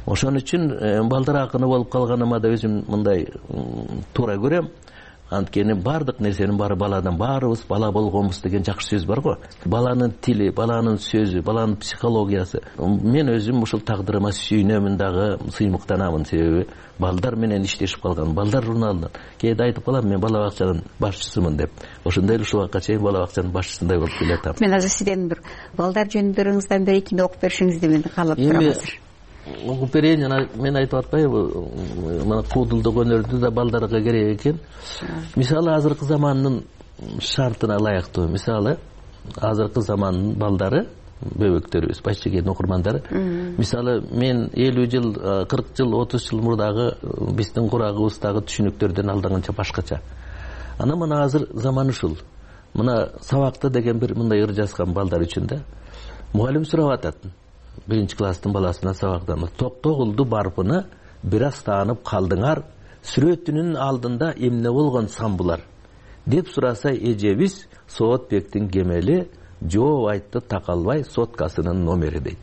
Ошон үчүн балдар акыны болуп калганыма да өзүм мындай туура көрөм. Анткени бардык нерсенин баары баладан, баарыбыз бала болгонбуз деген жакшы сөз бар го. Баланын тили, баланын сөзү, баланын психологиясы. Мен өзүм ушул тагдырыма сүйүнөмүн дагы, сыймыктанамын. Себеби балдар менен иштешип калган, балдар журналынан. Кээде айтып калам, мен бала бакчанын башчысымын деп. Ошондой эле ушул убакка чейин бала бакчанын башчысындай болуп келатам. Мен азыр сизден бир балдар жөнүндөрүңүздөн бир экини окуп беришиңизди мен каалап турам азыр. Окуп берейин, жана мен айтып атпайбы, мына куудулдук өнөрдү да балдарга керек экен. Мисалы азыркы замандын шартына ылайыктуу. Мисалы азыркы замандын балдары, бөбөктөрүбүз, Байшекейдин окурмандары. Мисалы мен 50 жыл, 40 жыл, 30 жыл мурдагы биздин курагыбыздагы түшүнүктөрдөн алданганча башкача. Анан мына азыр заман ушул. Мына сабакта деген бир мындай ыр жазган балдар үчүн да. Мугалим сурап атат. 1 класстын баласына сабактан токтогулду барпыны бир аз таанып калдыңар, сүрөтүнүн алдында эмне болгон самбулар деп сураса эжебиз Соотбектин кемели жооп айтты такалбай соткасынын номери дейт.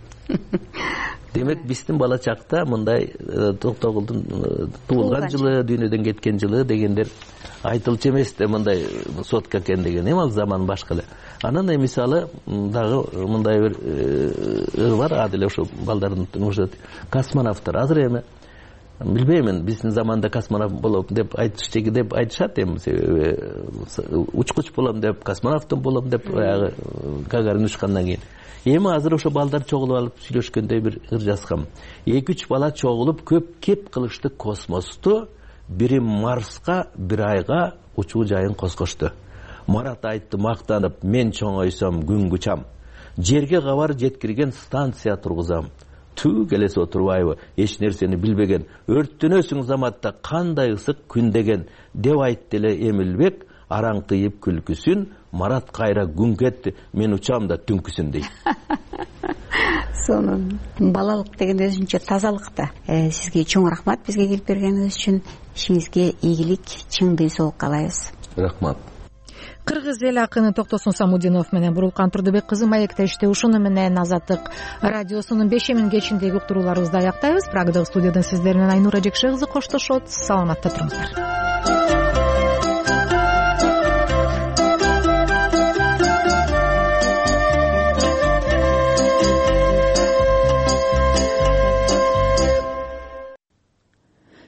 Демек биздин бала чакта мындай Токтогулдун туулган жылы, дүйнөдөн кеткен жылы дегендер айтылчу эмес да, мындай сотка экен деген. Эми ал заман башка эле. Анан мисалы дагы мындай бир бар, адил ошо балдардын космонавттар. Азыр эми билбеймин, биздин заманда космонавт болом деп айтышат эми, себеби учкуч болом деп, космонавт болом деп баягы Гагарин учкандан кийин. Эми азыр ошо балдар чогулуп алып сүйлөшкөндөй бир ыр жазгам. 2-3 бала чогулуп көп кеп кылышты космосту, бири Марска, бир айга учуу жайын козгошту. Марат айтты мактанып, мен чоңойсом күн кучам. Жерге кабар жеткирген станция тургузам. Түү келесе отурбайбы, эч нерсени билбеген, өрттөнөсүң заматта кандай ысык күн деген, деп айтты эле Эмилбек, араңтыйып күлкүсүн, Марат кайра күн кетти, мен учам да түнкүсүн дейт. Сонун балалык деген өзүнчө тазалык да. Сизге чоң рахмат бизге келип бергениңиз үчүн. Ишиңизге ийгилик, чың ден соолук каалайбыз. Рахмат. Кыргыз эл акыны Токтосун Самудинов менен Бурулкан Турдубек кызы маектешти. Ушуну менен Азаттык радиосунун 5-миң кечиндеги уктурууларыбызды аяктайбыз. Прагдагы студиядан сиздер менен Айнура Жекше кызы коштошот. Саламатта туруңуздар.